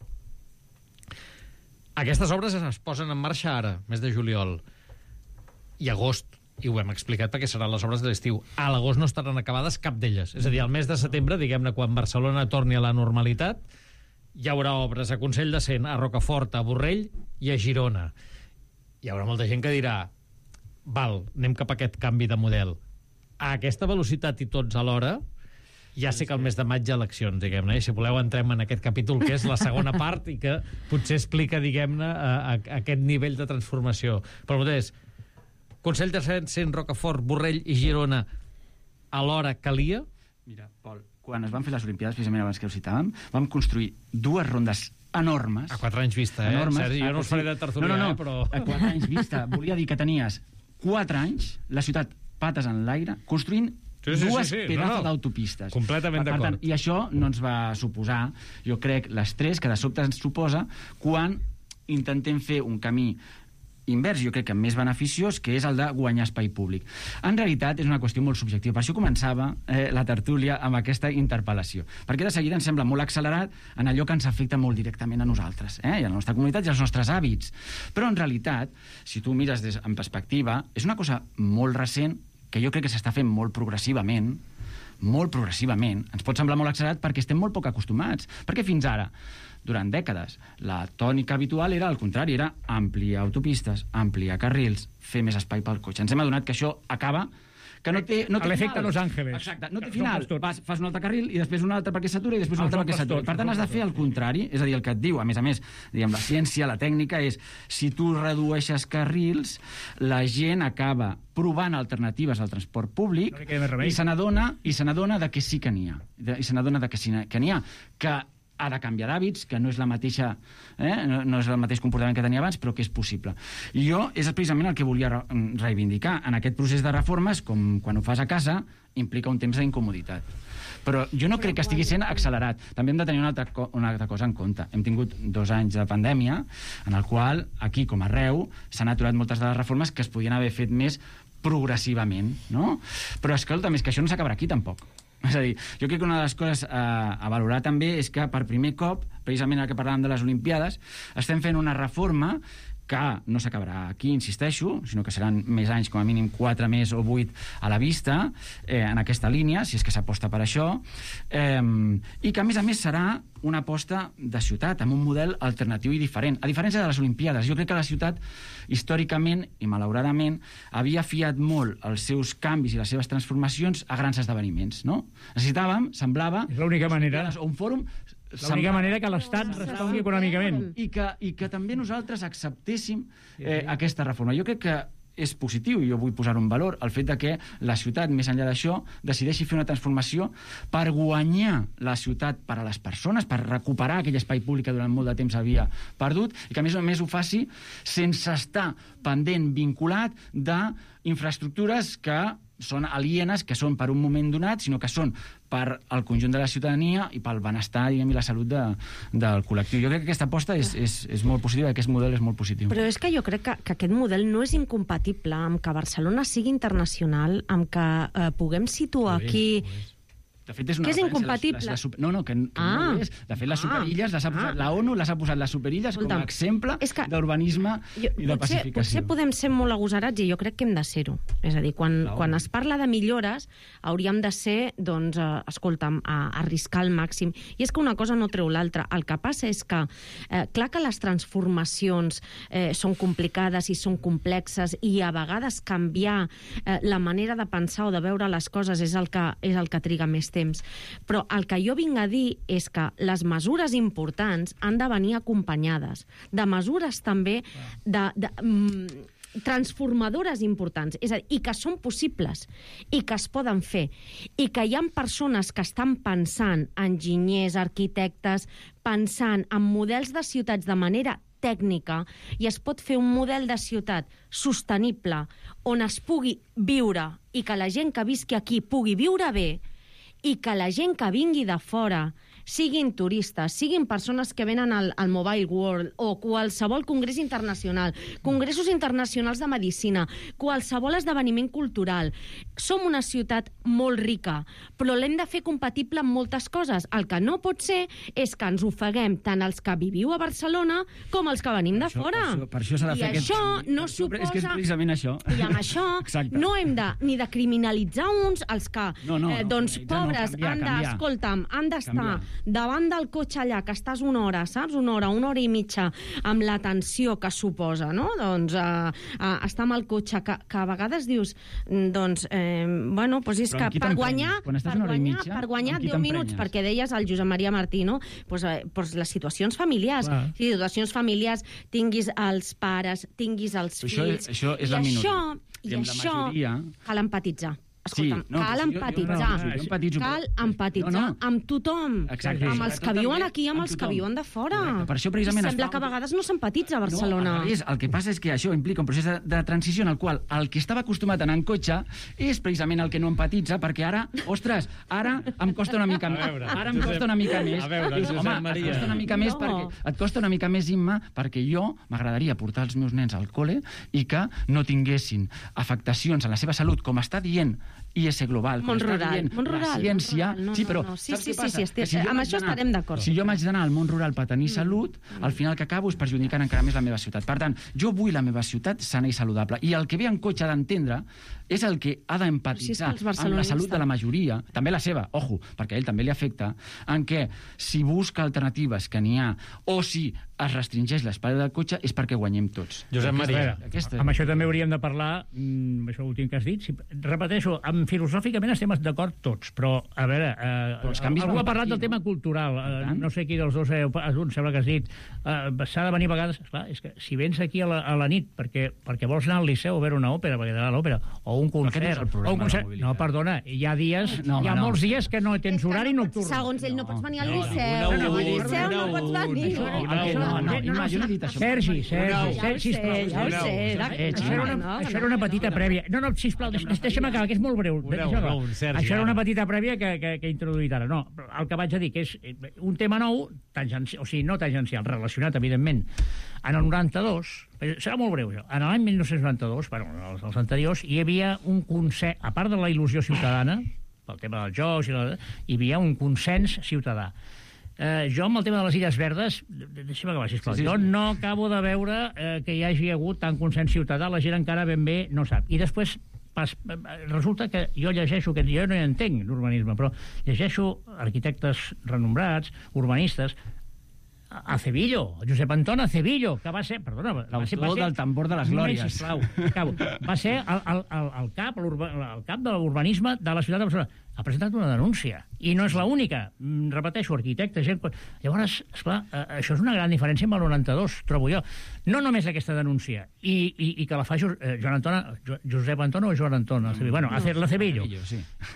Aquestes obres es posen en marxa ara, mes de juliol i agost, i ho hem explicat perquè seran les obres de l'estiu. A l'agost no estaran acabades cap d'elles. És a dir, al mes de setembre, diguem-ne, quan Barcelona torni a la normalitat, hi haurà obres a Consell de Cent, a Rocafort, a Borrell i a Girona. Hi haurà molta gent que dirà: val, anem cap a aquest canvi de model. A aquesta velocitat i tots alhora, ja sé que el mes de maig hi ha eleccions, diguem-ne, i si voleu entrem en aquest capítol, que és la segona part i que potser explica, diguem-ne, aquest nivell de transformació. Però és Consell de Cent, Rocafort, Borrell i Girona a l'hora calia? Mira, Pol, quan es van fer les Olimpiades, precisament abans que ho citàvem, vam construir 2 rondes enormes. A 4 anys vista, Sergi, jo no us faré de tertulià, però... A 4 anys vista. Volia dir que tenies 4 anys, la ciutat pates en l'aire, construint dues pedazos d'autopistes. Completament d'acord. I això no ens va suposar, jo crec, l'estrès que de sobte ens suposa quan intentem fer un camí invers, jo crec que més beneficiós, que és el de guanyar espai públic. En realitat és una qüestió molt subjectiva. Per això començava la tertúlia amb aquesta interpel·lació. Perquè de seguida ens sembla molt accelerat en allò que ens afecta molt directament a nosaltres, i a la nostra comunitat i als nostres hàbits. Però en realitat, si tu mires en perspectiva, és una cosa molt recent que jo crec que s'està fent molt progressivament. Ens pot semblar molt accelerat perquè estem molt poc acostumats. Perquè fins ara, durant dècades, la tònica habitual era al contrari, era ampliar autopistes, ampliar carrils, fer més espai pel cotxe. Ens hem adonat que això acaba que no té l'efecte final. Los Ángeles. Exacte, no té final. Fas un altre carril i després un altre perquè s'atura i després un altre perquè s'atura. Per tant, has de fer el contrari, és a dir, el que et diu, a més, diguem, la ciència, la tècnica, és si tu redueixes carrils, la gent acaba provant alternatives al transport públic i se n'adona de que sí que n'hi ha. I se n'adona de que sí que n'hi ha. Que ha de canviar d'hàbits, que no és la mateixa, no és el mateix comportament que tenia abans, però que és possible. I jo és precisament el que volia reivindicar. En aquest procés de reformes, com quan ho fas a casa, implica un temps d'incomoditat. Però jo no crec que estigui sent accelerat. També hem de tenir una altra cosa en compte. Hem tingut 2 anys de pandèmia, en el qual, aquí com arreu, s'han aturat moltes de les reformes que es podien haver fet més progressivament, no? Però escolta, és que això no s'acabarà aquí, tampoc. És a dir, jo crec que una de les coses a valorar també és que per primer cop, precisament el que parlàvem de les Olimpiades, estem fent una reforma que no s'acabarà aquí, insisteixo, sinó que seran més anys, com a mínim 4 més o 8 a la vista, en aquesta línia, si és que s'aposta per això, i que, a més, serà una aposta de ciutat, amb un model alternatiu i diferent. A diferència de les Olimpiades, jo crec que la ciutat, històricament i malauradament, havia fiat molt els seus canvis i les seves transformacions a grans esdeveniments, no? Necessitàvem, semblava... És l'única manera. O un fòrum... L'única manera que l'Estat respongui econòmicament. I que també nosaltres acceptéssim aquesta reforma. Jo crec que és positiu, i jo vull posar en valor, el fet de que la ciutat, més enllà d'això, decideixi fer una transformació per guanyar la ciutat per a les persones, per recuperar aquell espai públic que durant molt de temps havia perdut, i que a més a més ho faci sense estar pendent, vinculat d'infraestructures que són alienes, que són per un moment donat, sinó que són per al conjunt de la ciutadania i pel benestar, diguem, i la salut del col·lectiu. Jo crec que aquesta aposta és molt positiva, aquest model és molt positiu. Però és que jo crec que aquest model no és incompatible amb que Barcelona sigui internacional, amb que puguem situar aquí... De fet, és una que és incompatible. No, que no és. De fet, les superilles, la ONU les ha posat les superilles com a exemple d'urbanisme i de pacificació. Potser podem ser molt agosarats i jo crec que hem de ser-ho. És a dir, quan es parla de millores, hauríem de ser, doncs, escolta'm, arriscar al màxim. I és que una cosa no treu l'altra. El que passa és que, clar que les transformacions són complicades i són complexes i a vegades canviar la manera de pensar o de veure les coses és el que triga més temps. Però el que jo vinc a dir és que les mesures importants han de venir acompanyades de mesures també transformadores importants, és a dir, i que són possibles, i que es poden fer, i que hi ha persones que estan pensant, enginyers, arquitectes, pensant en models de ciutats de manera tècnica, i es pot fer un model de ciutat sostenible on es pugui viure i que la gent que visqui aquí pugui viure bé, i que la gent que vingui de fora, siguin turistes, siguin persones que venen al Mobile World o qualsevol congrés internacional, congressos internacionals de medicina, qualsevol esdeveniment cultural. Som una ciutat molt rica, però l'hem de fer compatible amb moltes coses. El que no pot ser és que ens ofeguem tant els que viviu a Barcelona com els que venim de fora. Per això s'ha de fer I això no suposa... És que és precisament això. I amb això no hem ni de criminalitzar uns, els que, doncs, pobres, han d'estar davant del cotxe allà, que estàs una hora, saps? Una hora i mitja, amb la tensió que suposa, no? Doncs estar amb el cotxe, que a vegades dius, doncs, bueno, doncs és que per guanyar 10 minuts, perquè deies al Josep Maria Martí, no? Doncs les situacions familiars. Situacions familiars, tinguis els pares, tinguis els fills... Això és la minoria. I això cal empatitzar. Escolta'm, cal empatitzar amb tothom, amb els que viuen aquí i amb els que viuen de fora. Per això precisament sembla que a vegades no s'empatitza a Barcelona. El que passa és que això implica un procés de transició en el qual el que estava acostumat a anar en cotxe és precisament el que no empatitza, perquè ara, ostres, ara em costa una mica més. Ara em costa una mica més. Et costa una mica més, Imma, perquè jo m'agradaria portar els meus nens al col·le i que no tinguessin afectacions en la seva salut, com està dient IS Global, món rural, la ciència... Sí, però saps què passa? Amb això estarem d'acord. Si jo m'haig d'anar al món rural per tenir salut, al final que acabo és perjudicant encara més la meva ciutat. Per tant, jo vull la meva ciutat sana i saludable, i el que ve en cotxe d'entendre és el que ha d'empatitzar amb la salut de la majoria, també la seva, ojo, perquè a ell també li afecta, en què si busca alternatives que n'hi ha, o si es restringeix l'espai del cotxe és perquè guanyem tots. Josep Maria. Amb això també hauríem de parlar, això últim que has dit. Repeteixo, filosòficament estem d'acord tots, però, a veure, algú ha parlat del tema cultural. No sé qui dels dos, sembla que has dit, s'ha de venir a vegades... Esclar, és que si vens aquí a la nit perquè vols anar al Liceu a veure una òpera, perquè t'agrada l'òpera, o un concert... No, perdona, hi ha molts dies que no tens horari nocturn. Segons ell no pots venir al Liceu. Al Liceu no pots venir. Jo no he dit això. Sergi, sisplau. Això era una petita prèvia. No, sisplau, deixa'm acabar, que és molt breu. Això era una petita prèvia que he introduït ara. No, el que vaig a dir, que és un tema nou, o sigui, no tangencial, relacionat, evidentment. En el 92, serà molt breu, en l'any 1992, els anteriors, hi havia un consens, a part de la il·lusió ciutadana, pel tema dels jocs, hi havia un consens ciutadà. Jo, amb el tema de les Illes Verdes, deixa'm acabar, sisplau, jo no acabo de veure que hi hagi hagut tant consens ciutadà, la gent encara ben bé no sap. I després resulta que jo llegeixo, que jo no hi entenc d'urbanisme, però llegeixo arquitectes renombrats, urbanistes, Acevillo, Josep Anton Acevillo, que va ser... Perdona, l'autor del tambor de les glòries. Sisplau, acabo. Va ser el cap de l'urbanisme de la ciutat de Barcelona. Ha presentat una denúncia, i no és l'única. Repeteixo, arquitectes, gent... Llavors, esclar, això és una gran diferència amb el 92, trobo jo. No només aquesta denúncia, i que la fa Josep Anton o Joan Anton, bueno, l'Acevillo,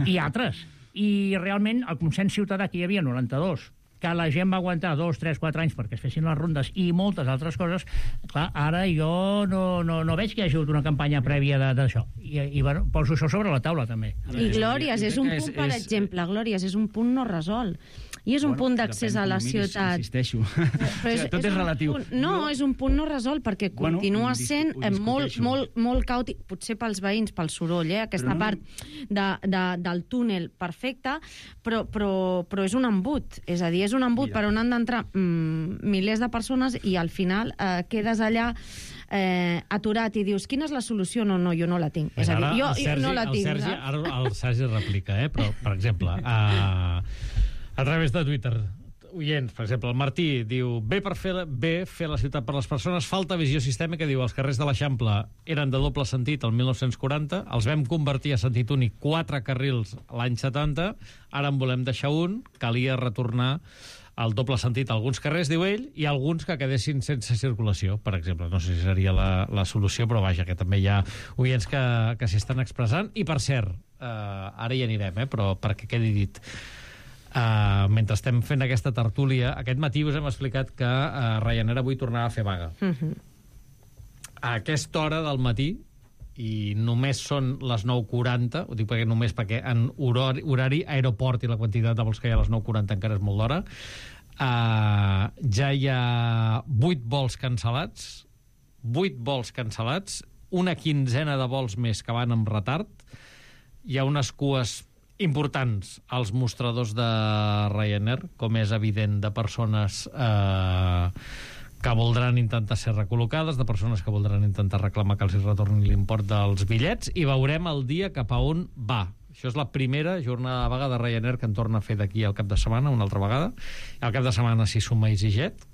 i altres. I realment el consens ciutadà que hi havia al 92, que la gent va aguantar 2, 3, 4 anys perquè es fessin les rondes i moltes altres coses, clar, ara jo no veig que hi hagi hagut una campanya prèvia d'això. I bueno, poso això sobre la taula, també. I Glòries és un punt, per exemple, Glòries és un punt no resolt. I és un punt d'accés a la ciutat. Insisteixo. Tot és relatiu. No, és un punt no resolt, perquè continua sent molt caòtic, potser pels veïns, pel soroll, aquesta part del túnel perfecta, però és un embut. És a dir, és un embut per on han d'entrar milers de persones i al final quedes allà aturat i dius, quina és la solució? No, jo no la tinc. És a dir, jo no la tinc. Ara el Sergi replica, però, per exemple, a través de Twitter, oients, per exemple, el Martí diu, bé fer la ciutat per les persones, falta visió sistèmica, diu, els carrers de l'Eixample eren de doble sentit el 1940, els vam convertir a sentit únic 4 carrils l'any 70, ara en volem deixar un, calia retornar al doble sentit a alguns carrers, diu ell, i alguns que quedessin sense circulació, per exemple. No sé si seria la solució, però vaja, que també hi ha oients que s'hi estan expressant. I, per cert, ara hi anirem, però perquè quedi dit, mentre estem fent aquesta tertúlia, aquest matí us hem explicat que Ryanair avui tornarà a fer vaga. A aquesta hora del matí, i només són les 9:40, ho dic perquè en horari aeroport i la quantitat de vols que hi ha a les 9:40 encara és molt d'hora, ja hi ha 8 vols cancel·lats, una quinzena de vols més que van amb retard, hi ha unes cues importants als mostradors de Ryanair, com és evident, de persones que voldran intentar ser recol·locades, de persones que voldran intentar reclamar que els retornin l'import dels bitllets, i veurem el dia cap a on va. Això és la primera jornada de vaga de Ryanair que en torna a fer d'aquí al cap de setmana, una altra vegada. Al cap de setmana s'hi suma EasyJet.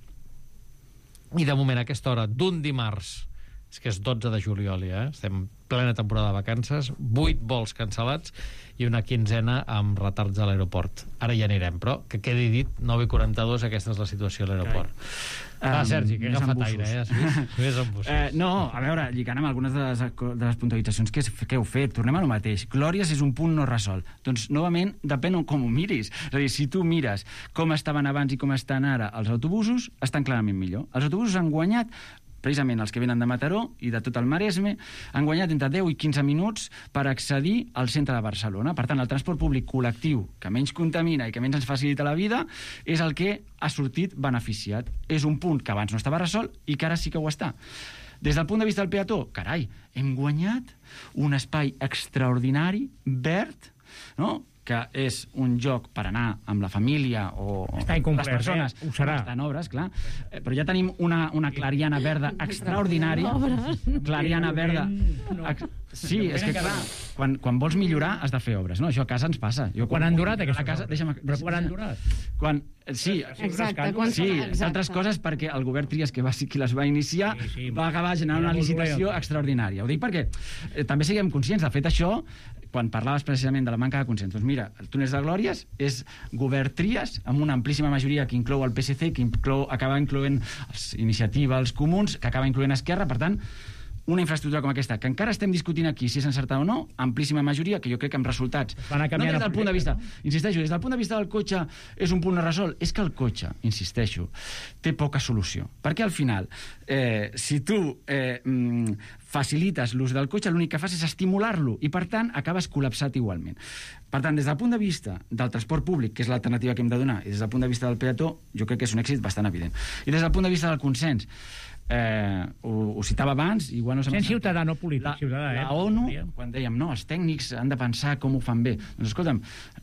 I de moment, a aquesta hora d'un dimarts, és que és 12 de juliol ja, estem plena temporada de vacances, 8 vols cancel·lats i una quinzena amb retards a l'aeroport. Ara ja anirem, però que quedi dit, 9:42, aquesta és la situació a l'aeroport. Sergi, que agafa aire, No, a veure, lligant amb algunes de les puntualitzacions que heu fet, tornem a lo mateix. Glòries és un punt no resolt. Doncs, novament, depèn com ho miris. És a dir, si tu mires com estaven abans i com estan ara els autobusos, estan clarament millor. Els autobusos han guanyat, precisament els que venen de Mataró i de tot el Maresme, han guanyat entre 10 i 15 minuts per accedir al centre de Barcelona. Per tant, el transport públic col·lectiu, que menys contamina i que menys ens facilita la vida, és el que ha sortit beneficiat. És un punt que abans no estava resolt i que ara sí que ho està. Des del punt de vista del peató, carai, hem guanyat un espai extraordinari, verd, no?, que és un lloc per anar amb la família o les persones ho serà. Estan obres, clar. Però ja tenim una clariana verda extraordinària. Clariana verda Sí, és que clar, quan vols millorar has de fer obres, no? Això a casa ens passa. Quan han durat aquestes casa, obres? Quan han durat? Sí, altres coses perquè el govern Trias, que va ser qui les va iniciar, va acabar generant una licitació extraordinària. Ho dic perquè també siguem conscients. De fet, això, quan parlaves precisament de la manca de consens, doncs mira, el Túnel de Glòries és govern Trias, amb una amplíssima majoria que inclou el PSC, que acaba incloent Iniciativa, els Comuns, que acaba incloent Esquerra, per tant, una infraestructura com aquesta, que encara estem discutint aquí si és encertada o no, amplíssima majoria, que jo crec que amb resultats. No des del punt de vista, insisteixo, des del punt de vista del cotxe és un punt a resolt, és que el cotxe, insisteixo, té poca solució. Perquè al final, si tu facilites l'ús del cotxe, l'únic que fas és estimular-lo i, per tant, acabes col·lapsat igualment. Per tant, des del punt de vista del transport públic, que és l'alternativa que hem de donar, i des del punt de vista del peató, jo crec que és un èxit bastant evident. I des del punt de vista del consens, ho citava abans, igual no sent ciutadà, no polític, ciutadà. La ONU, quan dèiem, no, els tècnics han de pensar com ho fan bé. Doncs escolta'm,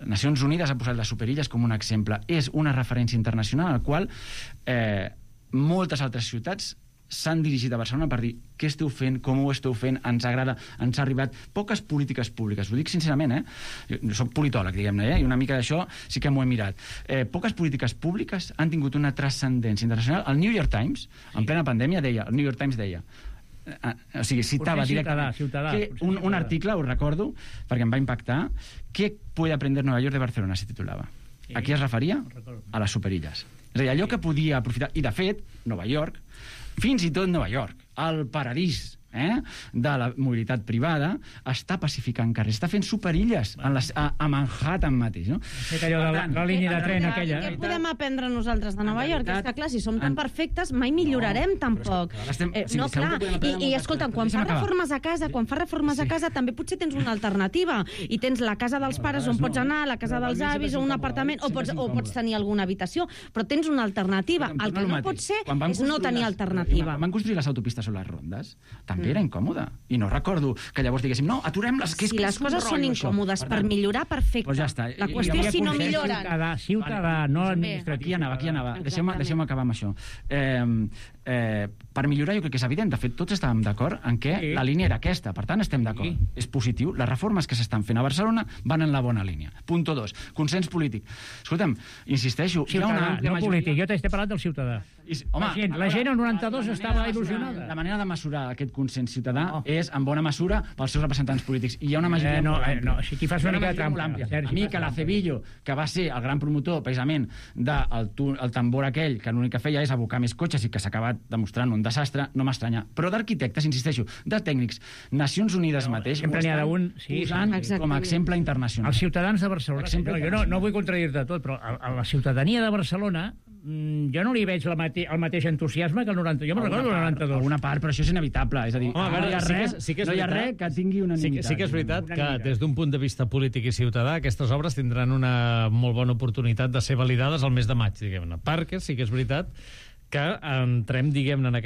Nacions Unides ha posat les superilles com un exemple. És una referència internacional al qual moltes altres ciutats s'han dirigit a Barcelona per dir què esteu fent, com ho esteu fent, ens agrada, ens ha arribat. Poques polítiques públiques, ho dic sincerament, jo soc politòleg, diguem-ne, i una mica d'això sí que m'ho he mirat. Poques polítiques públiques han tingut una transcendència internacional. El New York Times, en plena pandèmia, el New York Times deia, o sigui, citava directament un article, ho recordo, perquè em va impactar, «¿Qué puede aprender Nueva York de Barcelona?», se titulava. A qui es referia? A les superilles. És a dir, allò que podia aprofitar... I, de fet, Nova York, fins i tot Nova York, el paradís de la mobilitat privada, està pacificant carrers, està fent superilles a Manhattan mateix, no? La línia de tren aquella. Què podem aprendre nosaltres de Nova York? És que, clar, si som tan perfectes, mai millorarem tampoc. No, clar. I escolta'm, quan fas reformes a casa, també potser tens una alternativa. I tens la casa dels pares on pots anar, la casa dels avis o un apartament, o pots tenir alguna habitació, però tens una alternativa. El que no pot ser és no tenir alternativa. Van construir les autopistes o les rondes, també era incòmode. I no recordo que llavors diguéssim, no, aturem les... Si les coses són incòmodes per millorar, perfecte. La qüestió és si no milloren. Ciutadà, no administratiu. Aquí anava. Deixeu-me acabar amb això. Per millorar jo crec que és evident. De fet, tots estàvem d'acord en què la línia era aquesta. Per tant, estem d'acord. És positiu. Les reformes que s'estan fent a Barcelona van en la bona línia. Punto 2. Consens polític. Escolta'm, insisteixo... Ciutadà, no polític. Jo t'he parlat del ciutadà. La gent al 92 estava il·lusionada. La manera de mesurar aquest consens ciutadà és, en bona mesura, pels seus representants polítics. I hi ha una majoria molt àmplia. Aquí fas una mica de trampa. A mi, que l'Acevillo, que va ser el gran promotor, precisament, del tambor aquell, que l'únic que feia és abocar més cotxes i que s'ha acabat demostrant un desastre, no m'estranya. Però d'arquitectes, insisteixo, de tècnics, Nacions Unides mateix, ho estan posant com a exemple internacional. Els ciutadans de Barcelona, jo no vull contradir-te tot, però a la ciutadania de Barcelona jo no li veig el mateix entusiasme que el 90. Jo me'n recordo el 92. Alguna part, però això és inevitable. És a dir, no hi ha res que tingui unanimitat. Sí que és veritat que des d'un punt de vista polític i ciutadà aquestes obres tindran una molt bona oportunitat de ser validades al mes de maig, diguem-ne. Perquè sí que és veritat que entrem, diguem-ne, en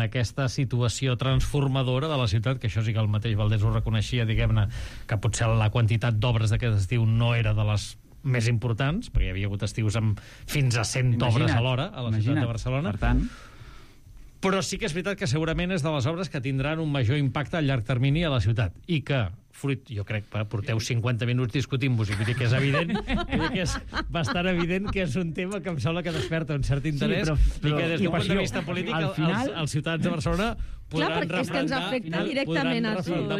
aquesta situació transformadora de la ciutat, que això sí que el mateix Valdés ho reconeixia, diguem-ne, que potser la quantitat d'obres d'aquest estiu no era de les més importants, perquè hi havia hagut estius amb fins a 100 obres alhora a la ciutat de Barcelona. Per tant... Però sí que és veritat que segurament és de les obres que tindran un major impacte a llarg termini a la ciutat i que, fruit, jo crec que porteu 50 minuts discutint-vos i vull dir que és evident, vull dir que és bastant evident que és un tema que em sembla que desperta un cert interès i que des d'un punt de vista polític els ciutadans de Barcelona podran referendar,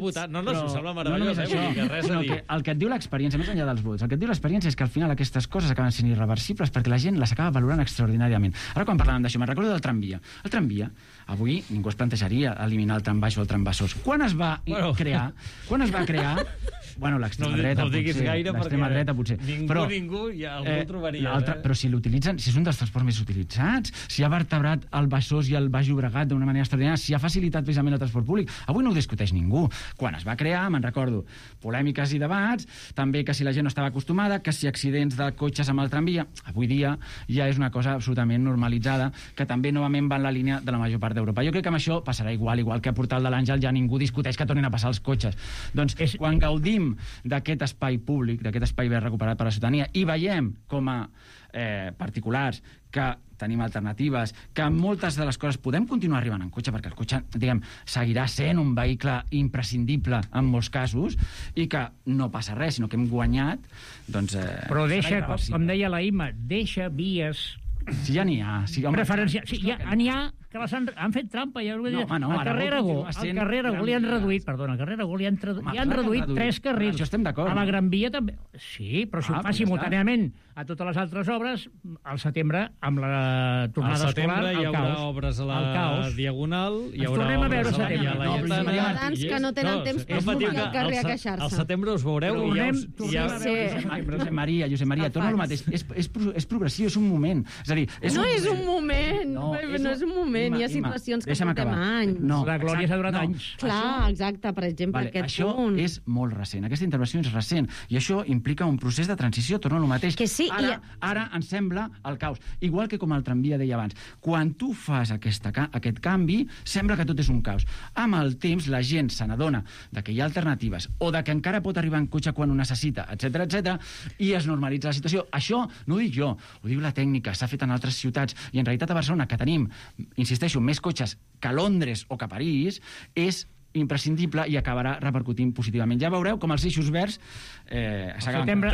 votar. No, si sembla meravellós, res a dir. El que et diu l'experiència, més enllà dels vots, el que et diu l'experiència és que al final aquestes coses acaben sent irreversibles perquè la gent les acaba valorant extraordinàriament. Ara quan parlàvem d'això, me'n recordo del tramvia. El tramvia, avui ningú es plantejaria eliminar el trambaix o el trambessors. Quan es va crear? Bueno, l'extrema dreta, no diguis gaire, l'extrema dreta, potser. Ningú ja algú ho trobaria. Però si l'utilitzen, si és un dels transports més utilitzats, si ha vertebrat el Besòs i el Baix Llobregat d'una manera extraordinària, si ha facilitat precisament el transport públic, avui no ho discuteix ningú. Quan es va crear, me'n recordo, polèmiques i debats, també que si la gent no estava acostumada, que si accidents de cotxes amb el tramvia, avui dia ja és una cosa absolutament normalitzada, que també novament va en la línia de la major part d'Europa. Jo crec que amb això passarà igual que a Portal de l'Àngel ja ningú discuteix que tornin a passar els cotxes. Doncs quan gaudim d'aquest espai públic, d'aquest espai ben recuperat per la ciutadania, i veiem com a particulars que tenim alternatives, que moltes de les coses podem continuar arribant en cotxe, perquè el cotxe, diguem, seguirà sent un vehicle imprescindible en molts casos, i que no passa res, sinó que hem guanyat, doncs... Però deixa, com deia la Imma, deixa vies... Si ja n'hi ha. Preferència. Sí, ja n'hi ha que les han fet trampa. Ja al carrer Aragó li han reduït, perdona, al carrer Aragó li han reduït 3 carrils. Això estem d'acord. A la Gran Via també. Sí, però si ho fa simultàniament a totes les altres obres, al setembre, amb la tornada escolar, al setembre hi haurà obres a la Diagonal, hi haurà obres a la Laietana... Ciutadans que no tenen temps per sortir al carrer a queixar-se. Al setembre us veureu i ja... Josep Maria, torno al mateix. És progressiu, és un moment. És a dir... No és un moment, no és un moment. Hi ha situacions que portem anys. La Glòria s'ha durat anys. Clar, exacte, per exemple, aquest punt. Això és molt recent, aquesta intervenció és recent, i això implica un procés de transició, torno al mateix. Que sí, ara ens sembla el caos. Igual que com el tramvia deia abans. Quan tu fas aquest canvi, sembla que tot és un caos. Amb el temps, la gent se n'adona que hi ha alternatives, o que encara pot arribar en cotxe quan ho necessita, etc, i es normalitza la situació. Això no ho dic jo, ho diu la tècnica, s'ha fet en altres ciutats, i en realitat a Barcelona, que tenim, insisteixo, més cotxes que a Londres o que a París, és imprescindible i acabarà repercutint positivament. Ja veureu com els eixos verds al setembre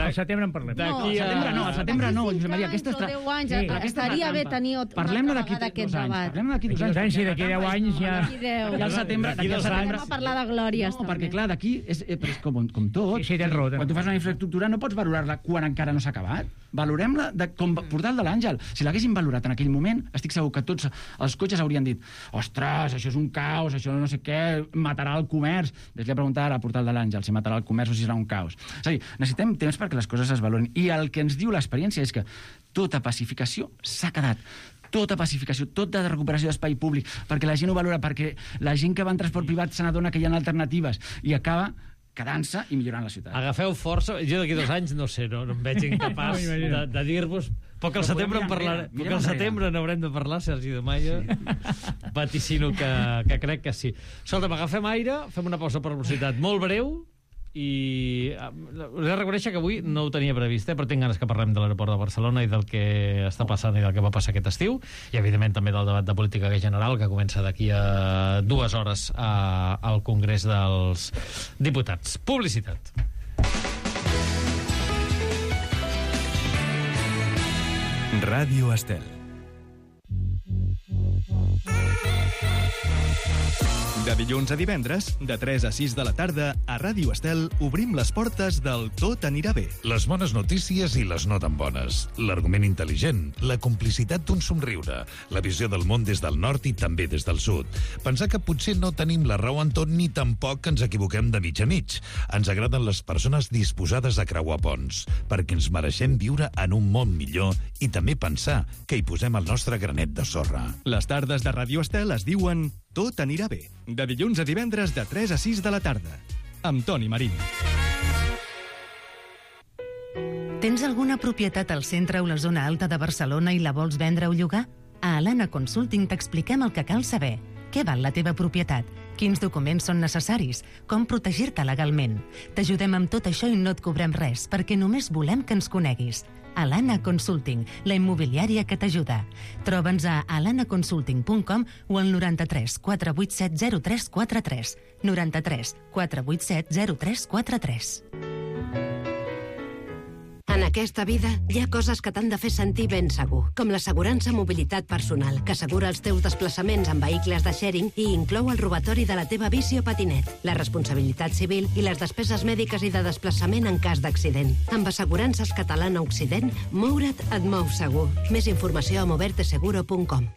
en parlem. Al setembre no, Josep Maria. 10 anys, estaria bé tenir una vegada d'aquest debat. Parlem d'aquí 2 anys. Sí, d'aquí 10 anys ja... I al setembre... Anem a parlar de glòries, també. Perquè, clar, d'aquí és com tot. Sí, tens raó. Quan tu fas una infraestructura no pots valorar-la quan encara no s'ha acabat. Valorem-la com Portal de l'Àngel. Si l'haguessin valorat en aquell moment, estic segur que tots els cotxes haurien dit: ostres, això és un caos, això no sé què, matarà el comerç. Deixa-li preguntar a Portal de l'Àngel si matarà el comerç o si serà un caos. És a dir, necessitem temps perquè les coses es valorin. I el que ens diu l'experiència és que tota pacificació s'ha quedat. Tota pacificació, tota recuperació d'espai públic, perquè la gent ho valora, perquè la gent que va en transport privat se n'adona que hi ha alternatives i acaba quedant-se i millorant la ciutat. Agafeu força. Jo d'aquí 2 anys no sé, no em veig incapaç de dir-vos... Però que al setembre en parlarem. Però que al setembre n'haurem de parlar, Sergi de Maia. Vaticino que crec que sí. Escolta'm, agafem aire, fem una pausa per velocitat molt breu i us he de reconèixer que avui no ho tenia previst, però tinc ganes que parlem de l'aeroport de Barcelona i del que està passant i del que va passar aquest estiu, i evidentment també del debat de política general que comença d'aquí a 2 hores al Congrés dels Diputats. Publicitat. Ràdio Estel. De dilluns a divendres, de 3 a 6 de la tarda, a Ràdio Estel obrim les portes del Tot anirà bé. Les bones notícies i les no tan bones. L'argument intel·ligent, la complicitat d'un somriure, la visió del món des del nord i també des del sud. Pensar que potser no tenim la raó en tot ni tampoc que ens equivoquem de mig a mig. Ens agraden les persones disposades a creuar ponts, perquè ens mereixem viure en un món millor i també pensar que hi posem el nostre granet de sorra. Les tardes de Ràdio Estel es diuen Tot anirà bé. De dilluns a divendres de 3 a 6 de la tarda. Amb Toni Marín. Tens alguna propietat al centre o la zona alta de Barcelona i la vols vendre o llogar? A Alana Consulting t'expliquem el que cal saber. Què val la teva propietat? Quins documents són necessaris? Com protegir-te legalment? T'ajudem amb tot això i no et cobrem res, perquè només volem que ens coneguis. Alana Consulting, la immobiliària que t'ajuda. Troba'ns a alanaconsulting.com o al 93 487 0343. 93 487 0343. En aquesta vida hi ha coses que t'han de fer sentir ben segur, com l'assegurança mobilitat personal, que assegura els teus desplaçaments en vehicles de sharing i inclou el robatori de la teva bici o patinet, la responsabilitat civil i les despeses mèdiques i de desplaçament en cas d'accident. Amb Assegurances Catalana Occident, moure't et mou segur. Més informació a moverteseguro.com.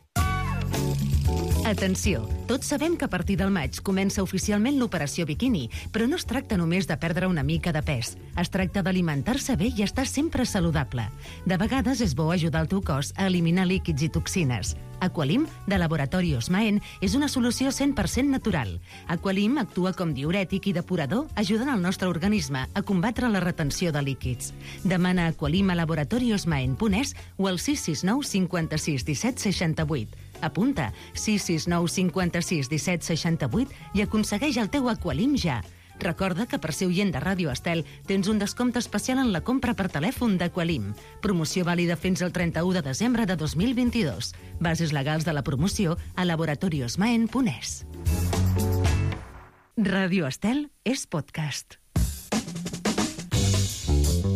Atenció! Tots sabem que a partir del maig comença oficialment l'operació Bikini, però no es tracta només de perdre una mica de pes. Es tracta d'alimentar-se bé i estar sempre saludable. De vegades és bo ajudar el teu cos a eliminar líquids i toxines. Aqualim, de Laboratori Osmaen, és una solució 100% natural. Aqualim actua com diürètic i depurador, ajudant el nostre organisme a combatre la retenció de líquids. Demana Aqualim a laboratoriosmaen.es o al 669 56 17 68. Apunta 669 56 17 68 i aconsegueix el teu Aqualim ja. Recorda que per ser oient de Ràdio Estel tens un descompte especial en la compra per telèfon d'Aqualim. Promoció vàlida fins al 31 de desembre de 2022. Bases legals de la promoció a laboratoriosmaen.es. Ràdio Estel és podcast.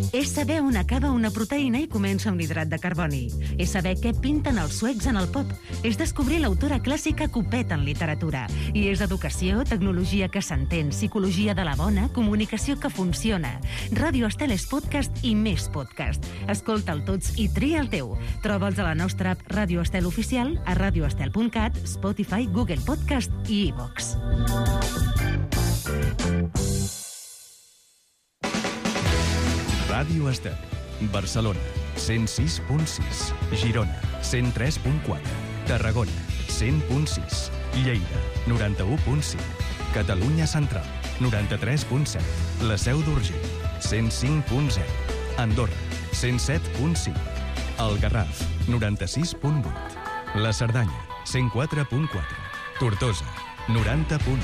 És saber on acaba una proteïna i comença un hidrat de carboni. És saber què pinten els suecs en el pop. És descobrir l'autora clàssica Copet en literatura. I és educació, tecnologia que s'entén, psicologia de la bona, comunicació que funciona. Ràdio Estel és podcast i més podcast. Escolta'l tots i tria el teu. Troba'ls a la nostra app Ràdio Estel Oficial, a radioestel.cat, Spotify, Google Podcast i iVox. Ràdio Estel. Barcelona, 106.6. Girona, 103.4. Tarragona, 100.6. Lleida, 91.5. Catalunya Central, 93.7. La Seu d'Urgell, 105.0. Andorra, 107.5. El Garraf, 96.8. La Cerdanya, 104.4. Tortosa, 90.1.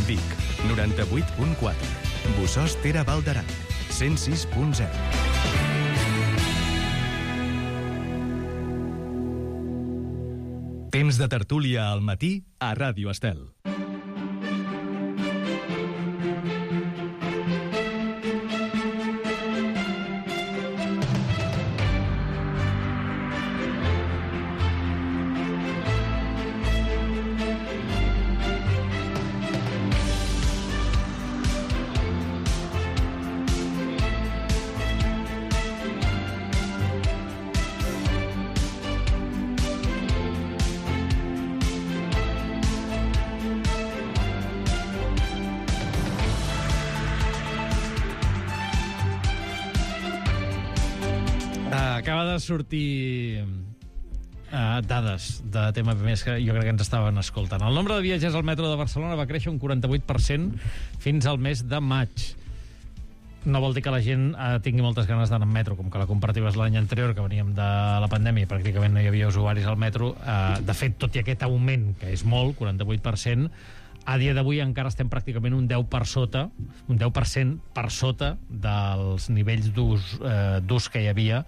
Vic, 98.4. Bossòst Tere Val d'Aran, 106.0. Temps de tertúlia al matí a Ràdio Estel. Acaba de sortir dades de TMP+, que jo crec que ens estaven escoltant. El nombre de viatgers al metro de Barcelona va créixer un 48% fins al mes de maig. No vol dir que la gent tingui moltes ganes d'anar en metro, com que la comparativa és l'any anterior, que veníem de la pandèmia i pràcticament no hi havia usuaris al metro. De fet, tot i aquest augment, que és molt, 48%, a dia d'avui encara estem pràcticament un 10% per sota dels nivells d'ús que hi havia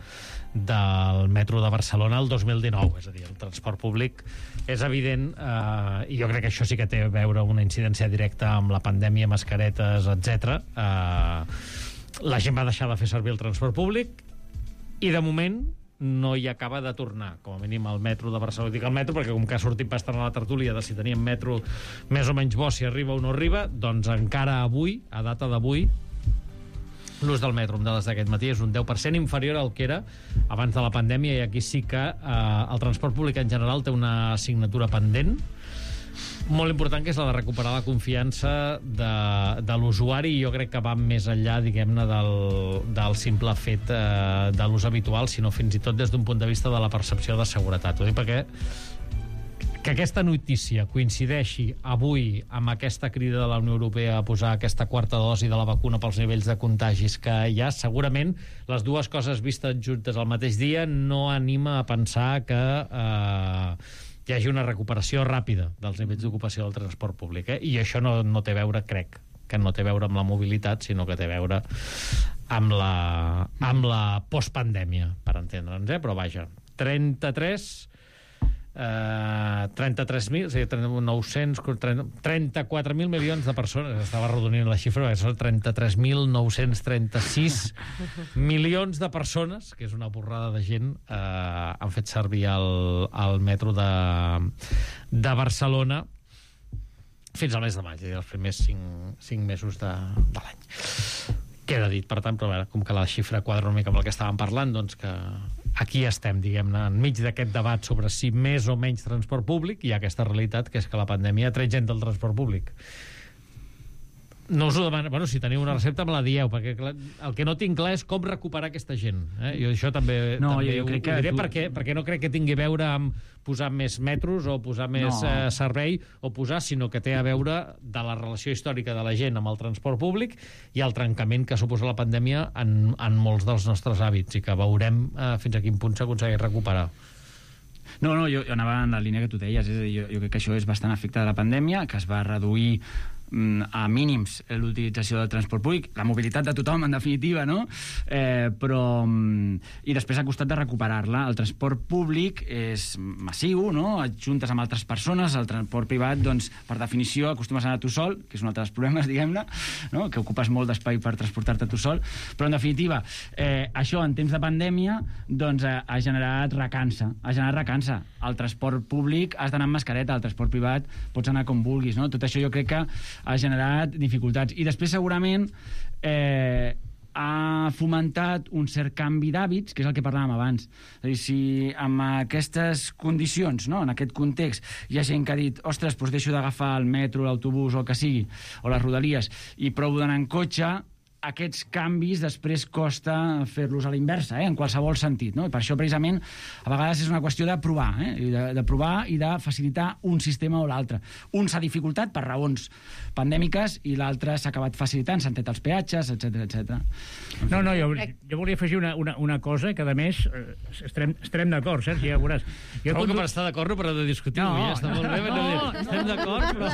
del metro de Barcelona el 2019, és a dir, el transport públic és evident, i jo crec que això sí que té a veure una incidència directa amb la pandèmia, mascaretes, etc. La gent va deixar de fer servir el transport públic i de moment no hi acaba de tornar, com a mínim al metro de Barcelona. Dic el metro perquè com que ha sortit bastant a la tertúlia de si teníem metro més o menys bo, si arriba o no arriba, doncs encara avui, a data d'avui, l'ús del metro amb dades d'aquest matí és un 10% inferior al que era abans de la pandèmia, i aquí sí que el transport públic en general té una assignatura pendent molt important, que és la de recuperar la confiança de l'usuari, i jo crec que va més enllà, diguem-ne, del simple fet de l'ús habitual, sinó fins i tot des d'un punt de vista de la percepció de seguretat. Ho dic perquè que aquesta notícia coincideixi avui amb aquesta crida de la Unió Europea a posar aquesta quarta dosi de la vacuna pels nivells de contagis que hi ha, segurament les dues coses vistes juntes al mateix dia no anima a pensar que hi hagi una recuperació ràpida dels nivells d'ocupació del transport públic, i això no té a veure, crec, que no té a veure amb la mobilitat, sinó que té a veure amb la postpandèmia, per entendre'ns, però vaja, 34.000, o sigui, 34.000 milions de persones, estava arrodonint la xifra, són 33.936 milions de persones, que és una borrada de gent, han fet servir el metro de Barcelona fins al mes de maig, els primers 5 mesos de l'any. Queda dit, per tant, però a veure, com que la xifra quadra una mica amb el que estàvem parlant, doncs que aquí estem, diguem-ne, enmig d'aquest debat sobre si més o menys transport públic, hi ha aquesta realitat, que és que la pandèmia ha tret gent del transport públic. No us ho demano, bueno, si teniu una recepta me la dieu, perquè el que no tinc clar és com recuperar aquesta gent. Jo això també ho diré, perquè no crec que tingui a veure amb posar més metros o posar més servei o posar, sinó que té a veure de la relació històrica de la gent amb el transport públic i el trencament que suposa la pandèmia en molts dels nostres hàbits, i que veurem fins a quin punt s'aconsegueix recuperar. No, jo anava en la línia que tu deies, és a dir, jo crec que això és bastant efecte de la pandèmia, que es va reduir a mínims l'utilització del transport públic, la mobilitat de tothom, en definitiva, no? I després ha costat de recuperar-la. El transport públic és massiu, no? Et juntes amb altres persones, el transport privat, doncs, per definició, acostumes a anar tu sol, que és un altre dels problemes, diguem-ne, no? Que ocupes molt d'espai per transportar-te tu sol, però, en definitiva, això, en temps de pandèmia, doncs, ha generat recança. El transport públic has d'anar amb mascareta, el transport privat pots anar com vulguis, no? Tot això jo crec que ha generat dificultats. I després, segurament, ha fomentat un cert canvi d'hàbits, que és el que parlàvem abans. És a dir, si amb aquestes condicions, no? En aquest context, hi ha gent que ha dit, ostres, doncs deixo d'agafar el metro, l'autobús o el que sigui, o les rodalies, i provo d'anar en cotxe, aquests canvis després costa fer-los a la inversa, en qualsevol sentit, no? I per això, precisament, a vegades és una qüestió de provar, de provar i de facilitar un sistema o l'altre. Un s'ha dificultat per raons pandèmiques i l'altre s'ha acabat facilitant, s'han tret els peatges, etc. No, jo volia afegir una cosa que, a més, estarem d'acord, Sergi, ja veuràs. Trobo que per estar d'acord no per de discutir-ho, ja està molt bé. Estem d'acord, però...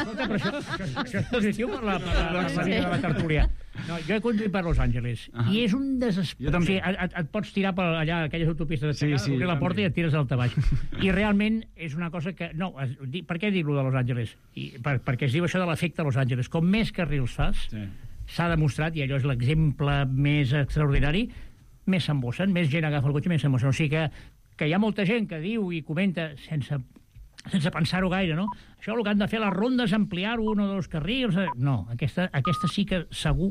Això és positiu per la vida de la tertúlia. No, jo he conduït per Los Angeles i és un desesperat. O sigui, et pots tirar per allà, aquelles autopistes obrir la porta i et tires al tabaix. I realment és una cosa que... No, per què dir-ho de Los Angeles? Perquè es diu això de l'efecte Los Angeles. Com més carrils fas, s'ha demostrat, i allò és l'exemple més extraordinari, més s'embossen, més gent agafa el cotxe, més s'embossen. O sigui que hi ha molta gent que diu i comenta sense pensar-ho gaire, no? Això el que han de fer les rondes, ampliar-ho, 1 o 2 carrils... No, aquesta sí que segur